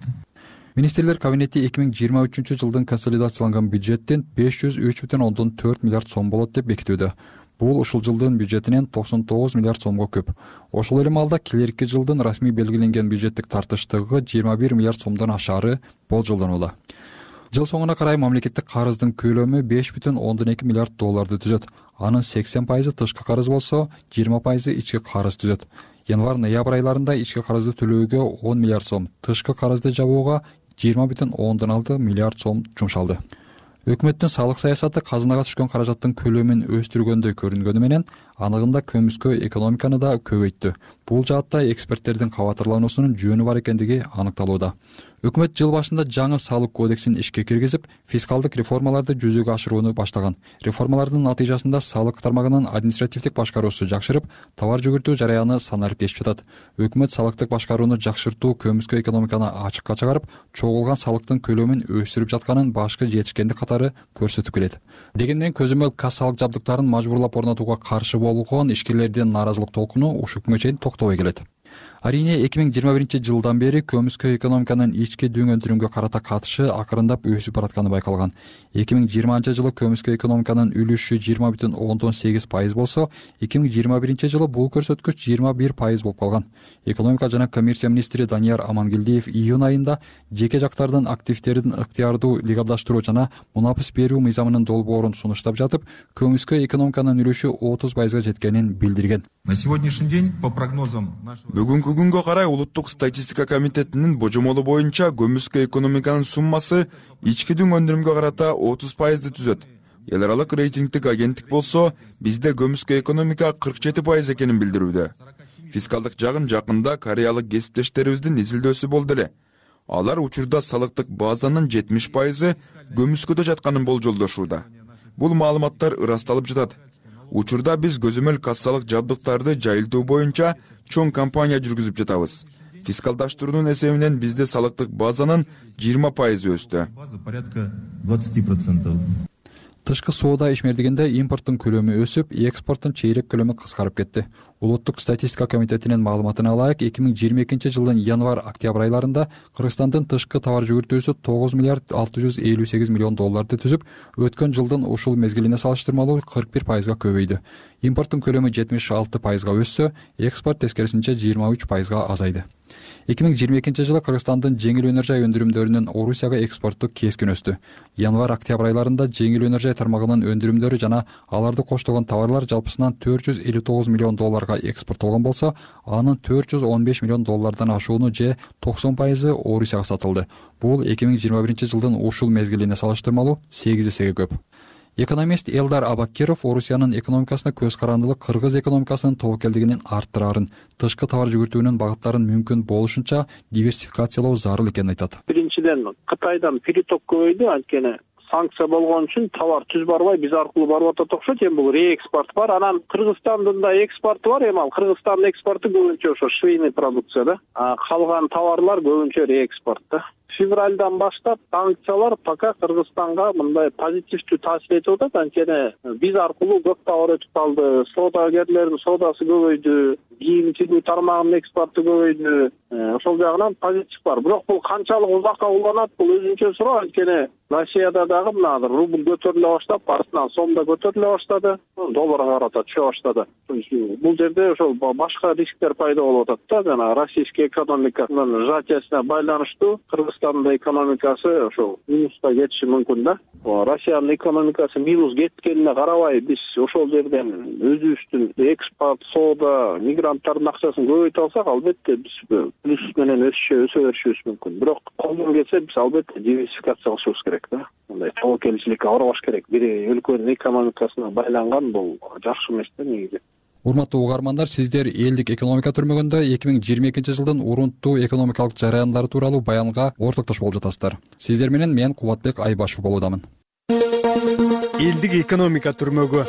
Министрлер кабинети эки миң жыйырма үчүнчү жылдын консолидацияланган бюджеттин беш жүз үч бүтүн ондон төрт миллиард сом болот деп бекитүүдө. Бул ушул жылдын бюджетинен токсон тогуз миллиард сомго көп. Ошол эле маалда келерки жылдын расмий белгиленген бюджеттик тартыштыгы жыйырма бир миллиард сомдон ашаары болжолдонууда. Жыл соңуна карай мамлекеттик карыздын көлөмү беш бүтүн ондон эки миллиард долларды түзөт. Анын сексен пайызы тышкы карыз болсо, жыйырма пайызы ички карыз түзөт. Январь-ноябрь айларында ички карызды төлөөгө он миллиард сом, тышкы карызды жабууга жыйырма бүтүн ондон алты миллиард сом жумшалды. Өкмөттүн салык саясаты казынага түшкөн каражаттын көлөмүн өстүргөндөй көрүнгөнү менен анығында көмүскө экономиканы да көбөйттү. Бул жаатта эксперттердин кабатырлануусунун жөнү бар экендиги аныкталууда. Өкмөт жыл башында жаңы салык кодексин ишке киргизип, фискалдык реформаларды жүзөгө ашырууну баштаган. Реформалардын натыйжасында салык тармагынын административдик башкаруусу жакшырып, товар жүгүртүү жараяны санариптешип жатат. Өкмөт салыктык башкарууну жакшыртуу көмүскө экономиканы ачыкка чыгарып, чогулган салыктын көлөмүн өстүрүп жатканын башкы жетишкендик катары көрсөтүп келет. Дегенмен көзөмөл кассалык жабдыктарын мажбурлап орнотууга каршы болгон ишкерлердин нааразылык толкуну ушул күнгө чейин токтобой келет. Арийне эки миң жыйырма биринчи жылдан бери көмүскө экономиканын ички дөң өндүрүмгө карата катышы акырындап өсүп баратканы байкалган. эки миң жыйырманчы жылы көмүскө экономиканын үлүшү жыйырма бүтүн ондон сегиз пайыз болсо, эки миң жыйырма биринчи жылы бул көрсөткүч жыйырма бир пайыз болуп калган. Экономика жана коммерция министри Данияр Амангелдиев июнь айында жеке жактардын активдерин ыктыярдуу легалдаштыруу жана мунапыс берүү мыйзамынын долбоорун сунуштап жатып, көмүскө экономиканын үлүшү отуз пайызга жеткенин билдирген.
На сегодняшний день, по прогнозам нашего...
Бүгүнкү күнгө карай Улуттук статистика комитетинин божомолу боюнча көмүскө экономиканын суммасы ички дүң өндүрүмгө карата отуз пайызды түзөт. Эл аралык рейтингдик агенттик болсо, бизде көмүскө экономика кырк жети пайыз экенин билдирүүдө. Фискалдык жагын жакында кореялык кесиптештерибиздин изилдөөсү болду эле. Алар учурда салыктык базанын жетимиш пайызы көмүскөдө жатканын болжолдошууда. Бул маалыматтар ырасталып жатат. Учурда биз көзөмөл кассалык жабдыктарды жайылтуу боюнча чоң кампания жүргүзүп жатабыз. Фискалдаштыруунун эсебинен бизде салыктык базанын жыйырма пайызы өстү.
Порядка двадцать процентов.
Тышкы соода ишмердигинде импорттун көлөмү өсүп, экспорттун чейрек көлөмү кыскарып кетти. Улуттук статистика комитетинин маалыматына ылайык, эки миң жыйырма экинчи жылдын январь-октябрь айларында Кыргызстандын тышкы товар жүгүртүүсү тогуз миллиард алты жүз элүү сегиз миллион долларды түзүп, өткөн жылдын ушул мезгилине салыштырмалуу кырк бир пайызга көбөйдү. Импорттун көлөмү жетимиш алты пайызга өссө, экспорт тескерисинче жыйырма үч пайызга азайды. эки миң жыйырма экинчи жылы Кыргызстандын жеңил өнөр жай өндүрүмдөрүнүн Орусияга экспорту кескин өстү. Январь-октябрь айларында жеңил өнөр жай тармагынын өндүрүмдөрү жана аларды коштогон товарлар жалпысынан төрт жүз элүү тогуз миллион долларга экспорттолгон болсо, анын төрт жүз он беш миллион доллардан ашууну же токсон пайызы Орусияга сатылды. Бул эки миң жыйырма биринчи жылдын ушул мезгилине салыштырмалуу сегиз эсеге көп. Экономист Элдар Абакиров Орусиянын экономикасына көз карандылык кыргыз экономикасынын тобокелдигинин арттырарын, тышкы товар жүгүртүүнүн багыттарын мүмкүн болушунча диверсификациялоо зарыл экенин айтат.
Биринчиден Кытайдан приток көбөйдү, анткени санкция болгон үчүн товар түз барбай биз аркылуу барып атат окшойт. Эми бул реэкспорт бар. Анан Кыргызстандын да экспорту бар. Эми ал Кыргызстандын экспорту көбүнчө ошо швейный продукция да. А калган товарлар көбүнчө реэкспорт да. Февральдан баштап санкциялар пока Кыргызстанга мындай позитивдүү таасир этип атат. Анткени биз аркылуу көп товар өтүп калды. Соодагерлердин соодасы көбөйдү, кийим чыгуу тармагынын экспорту көбөйдү. Ошол жагынан позитив бар. Бирок бул канчалык узакка уланат, бул өзүнчө суроо. Анткени Россияда дагы мына рубль көтөрүлө баштап, артынан сом да көтөрүлө баштады, долларга карата түшө баштады. Бул жерде ошол башка рисктер пайда болуп атат да, жана российский экономиканын сжатиясына байланыштуу Кыргызстандын экономикасы ошол минуска кетиши мүмкүн да. Россиянын экономикасы минус кеткенине карабай, биз ошол жерден өзүбүздүн экспорт, соода, мигранттардын акчасын көбөйтө алсак, албетте биз плюс менен өсүшө өсө беришибиз мүмкүн. Бирок колдон келсе биз албетте диверсификация кылышыбыз керек да. Мындай тобокелчиликке барбаш керек. Бир өлкөнүн экономикасына байланган бул жакшы эмес да негизи.
Урматтуу угармандар, сиздер элдик экономика түрмөгүндө эки миң жыйырма экинчи жылдын урунттуу экономикалык жараяндары тууралуу баянга ортоктош болуп жатасыздар. Сиздер менен мен Кубатбек Айбашев болуудамын.
Элдик экономика түрмөгү.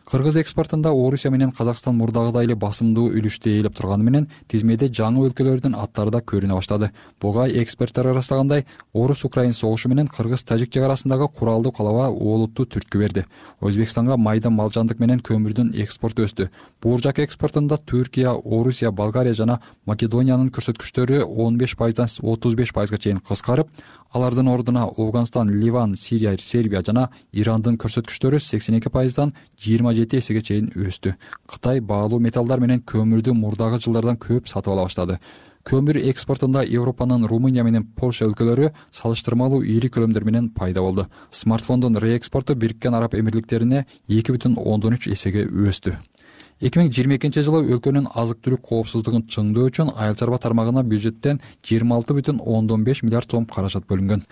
Кыргыз экспортунда Орусия менен Казакстан мурдагыдай эле басымдуу үлүштү ээлеп турганы менен тизмеде жаңы өлкөлөрдүн аттары да көрүнө баштады. Буга эксперттер ырастагандай, Орус-Украин согушу менен Кыргыз-Тажик чек арасындагы куралдуу калаба олуттуу түрткү берди. Өзбекстанга майда мал жандык менен көмүрдүн экспорту өстү. Бууржак экспортунда Түркия, Орусия, Болгария жана Македониянын көрсөткүчтөрү он беш пайыздан отуз беш пайызга чейин кыскарып, алардын ордуна Афганистан, Ливан, Сирия, Сербия жана Ирандын көрсөткүчтөрү сексен эки пайыздан жыйырма жети эсеге чейин өстү. Кытай баалуу металлдар менен көмүрдү мурдагы жылдардан көп сатып ала баштады. Көмүр экспортунда Европанын Румыния менен Польша өлкөлөрү салыштырмалуу ири көлөмдөр менен пайда болду. Смартфондун реэкспорту Бириккен Араб Эмирликтерине эки бүтүн ондон үч эсеге өстү. эки миң жыйырма экинчи жылы өлкөнүн азык-түлүк коопсуздугун чыңдоо үчүн айыл чарба тармагына бюджеттен жыйырма алты бүтүн ондон беш миллиард сом каражат бөлүнгөн.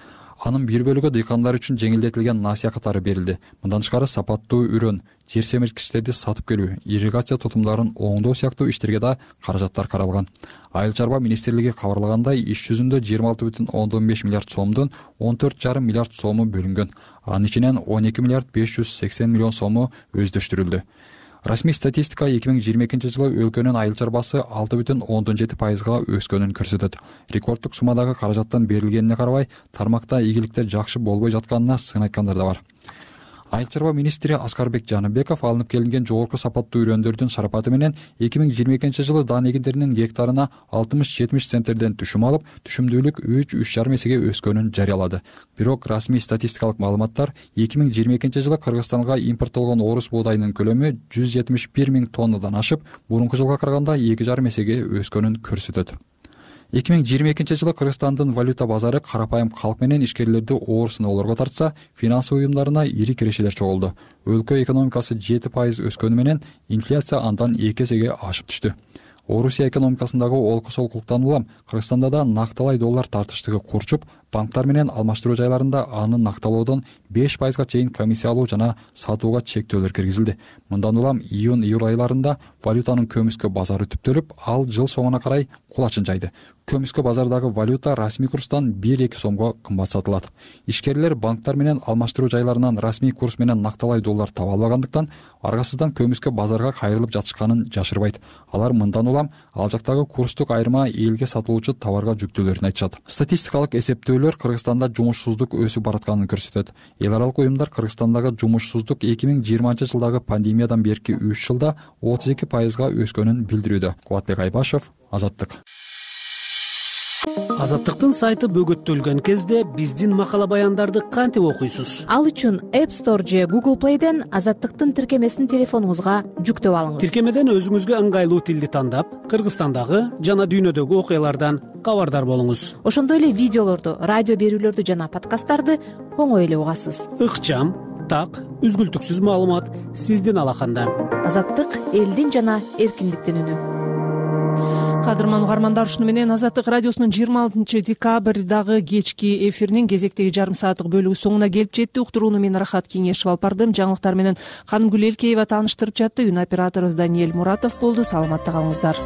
Анын бир бөлүгү дыйкандар үчүн жеңилдетилген насыя катары берилди. Мындан тышкары сапаттуу үрөн, жер семирткичтерди сатып келүү, ирригация тутумдарын оңдоо сыяктуу иштерге да каражаттар каралган. Айыл чарба министрлиги кабарлагандай, иш жүзүндө жыйырма алты бүтүн ондон беш миллиард сомдун он төрт жарым миллиард сому бөлүнгөн. Анын ичинен он эки миллиард беш жүз сексен миллион сому өздөштүрүлдү. Расмий статистика эки миң жыйырма экинчи жылы өлкөнүн айыл чарбасы алты бүтүн ондон жети пайызга өскөнүн көрсөтөт. Рекорддук суммадагы каражаттан берилгенине карабай, тармакта ийгиликтер жакшы болбой жатканына сын айткандар да бар. Айыл чарба министри Аскарбек Жаныбеков алынып келинген жогорку сапаттуу үрөндөрдүн шарапаты менен эки миң жыйырма экинчи жылы даан эгиндеринин гектарына алтымыш жетимиш центнерден түшүм алып, түшүмдүүлүк үч үч жарым эсеге өскөнүн жарыялады. Бирок расмий статистикалык маалыматтар эки миң жыйырма экинчи жылы Кыргызстанга импорттолгон орус буудайынын көлөмү жүз жетимиш бир миң тоннадан ашып, мурунку жылга караганда эки жарым эсеге өскөнүн көрсөтөт. эки миң жыйырма экинчи жылы Кыргызстандын валюта базары карапайым калк менен ишкерлерди оор сыноолорго тартса, финансы уюмдарына ири кирешелер чогулду. Өлкө экономикасы жети пайыз өскөнү менен инфляция андан эки эсеге ашып түштү. Орусия экономикасындагы олкусолкулуктан улам Кыргызстанда да накталай доллар тартыштыгы курчуп, банктар менен алмаштыруу жайларында аны накталоодон беш пайызга чейин комиссия алуу жана сатууга чектөөлөр киргизилди. Мындан улам июнь-июль айларында валютанын көмүскө базары түптөлүп, ал жыл соңуна карай кулачын жайды. Көмүскө базардагы валюта расмий курстан бир-эки сомго кымбат сатылат. Ишкерлер банктар менен алмаштыруу жайларынан расмий курс менен накталай доллар таба албагандыктан, аргасыздан көмүскө базарга кайрылып жатышканын жашырбайт. Алар мындан улам ал жактагы курстук айырма элге сатылуучу товарга жүктөөлөрүн айтышат. Статистикалык эсептөөлөр Кыргызстанда жумушсуздук өсүп баратканын көрсөтөт. Эл аралык уюмдар Кыргызстандагы жумушсуздук эки миң жыйырманчы жылдагы пандемиядан берки үч жылда отуз эки пайызга өскөнүн билдирүүдө. Кубатбек Айбашев, Азаттык.
Азаттыктын сайты бөгөттөлгөн кезде биздин макала баяндарды кантип окуйсуз?
Ал үчүн App Store же Google Play'ден Азаттыктын тиркемесин телефонуңузга жүктөп алыңыз.
Тиркемеден өзүңүзгө ыңгайлуу тилди тандап, Кыргызстандагы жана дүйнөдөгү окуялардан кабардар болуңуз.
Ошондой эле видеолорду, радио берүүлөрдү жана подкасттарды оңой эле угасыз.
Ыкчам, так, үзгүлтүксүз маалымат сиздин алаканда.
Азаттык элдин жана эркиндиктин үнү.
Кадырман угармандар, ушуну менен Азаттык радиосунун жыйырма алтынчы декабрдагы кечки эфиринин кезектеги жарым сааттык бөлүгү соңуна келип жетти. Уктурууну мен Рахат Кеңешев алып бардым. Жаңылыктар менен Канымгүл Элкеева тааныштырып жатты. Үн операторубуз Даниэль Муратов болду. Саламатта калыңыздар.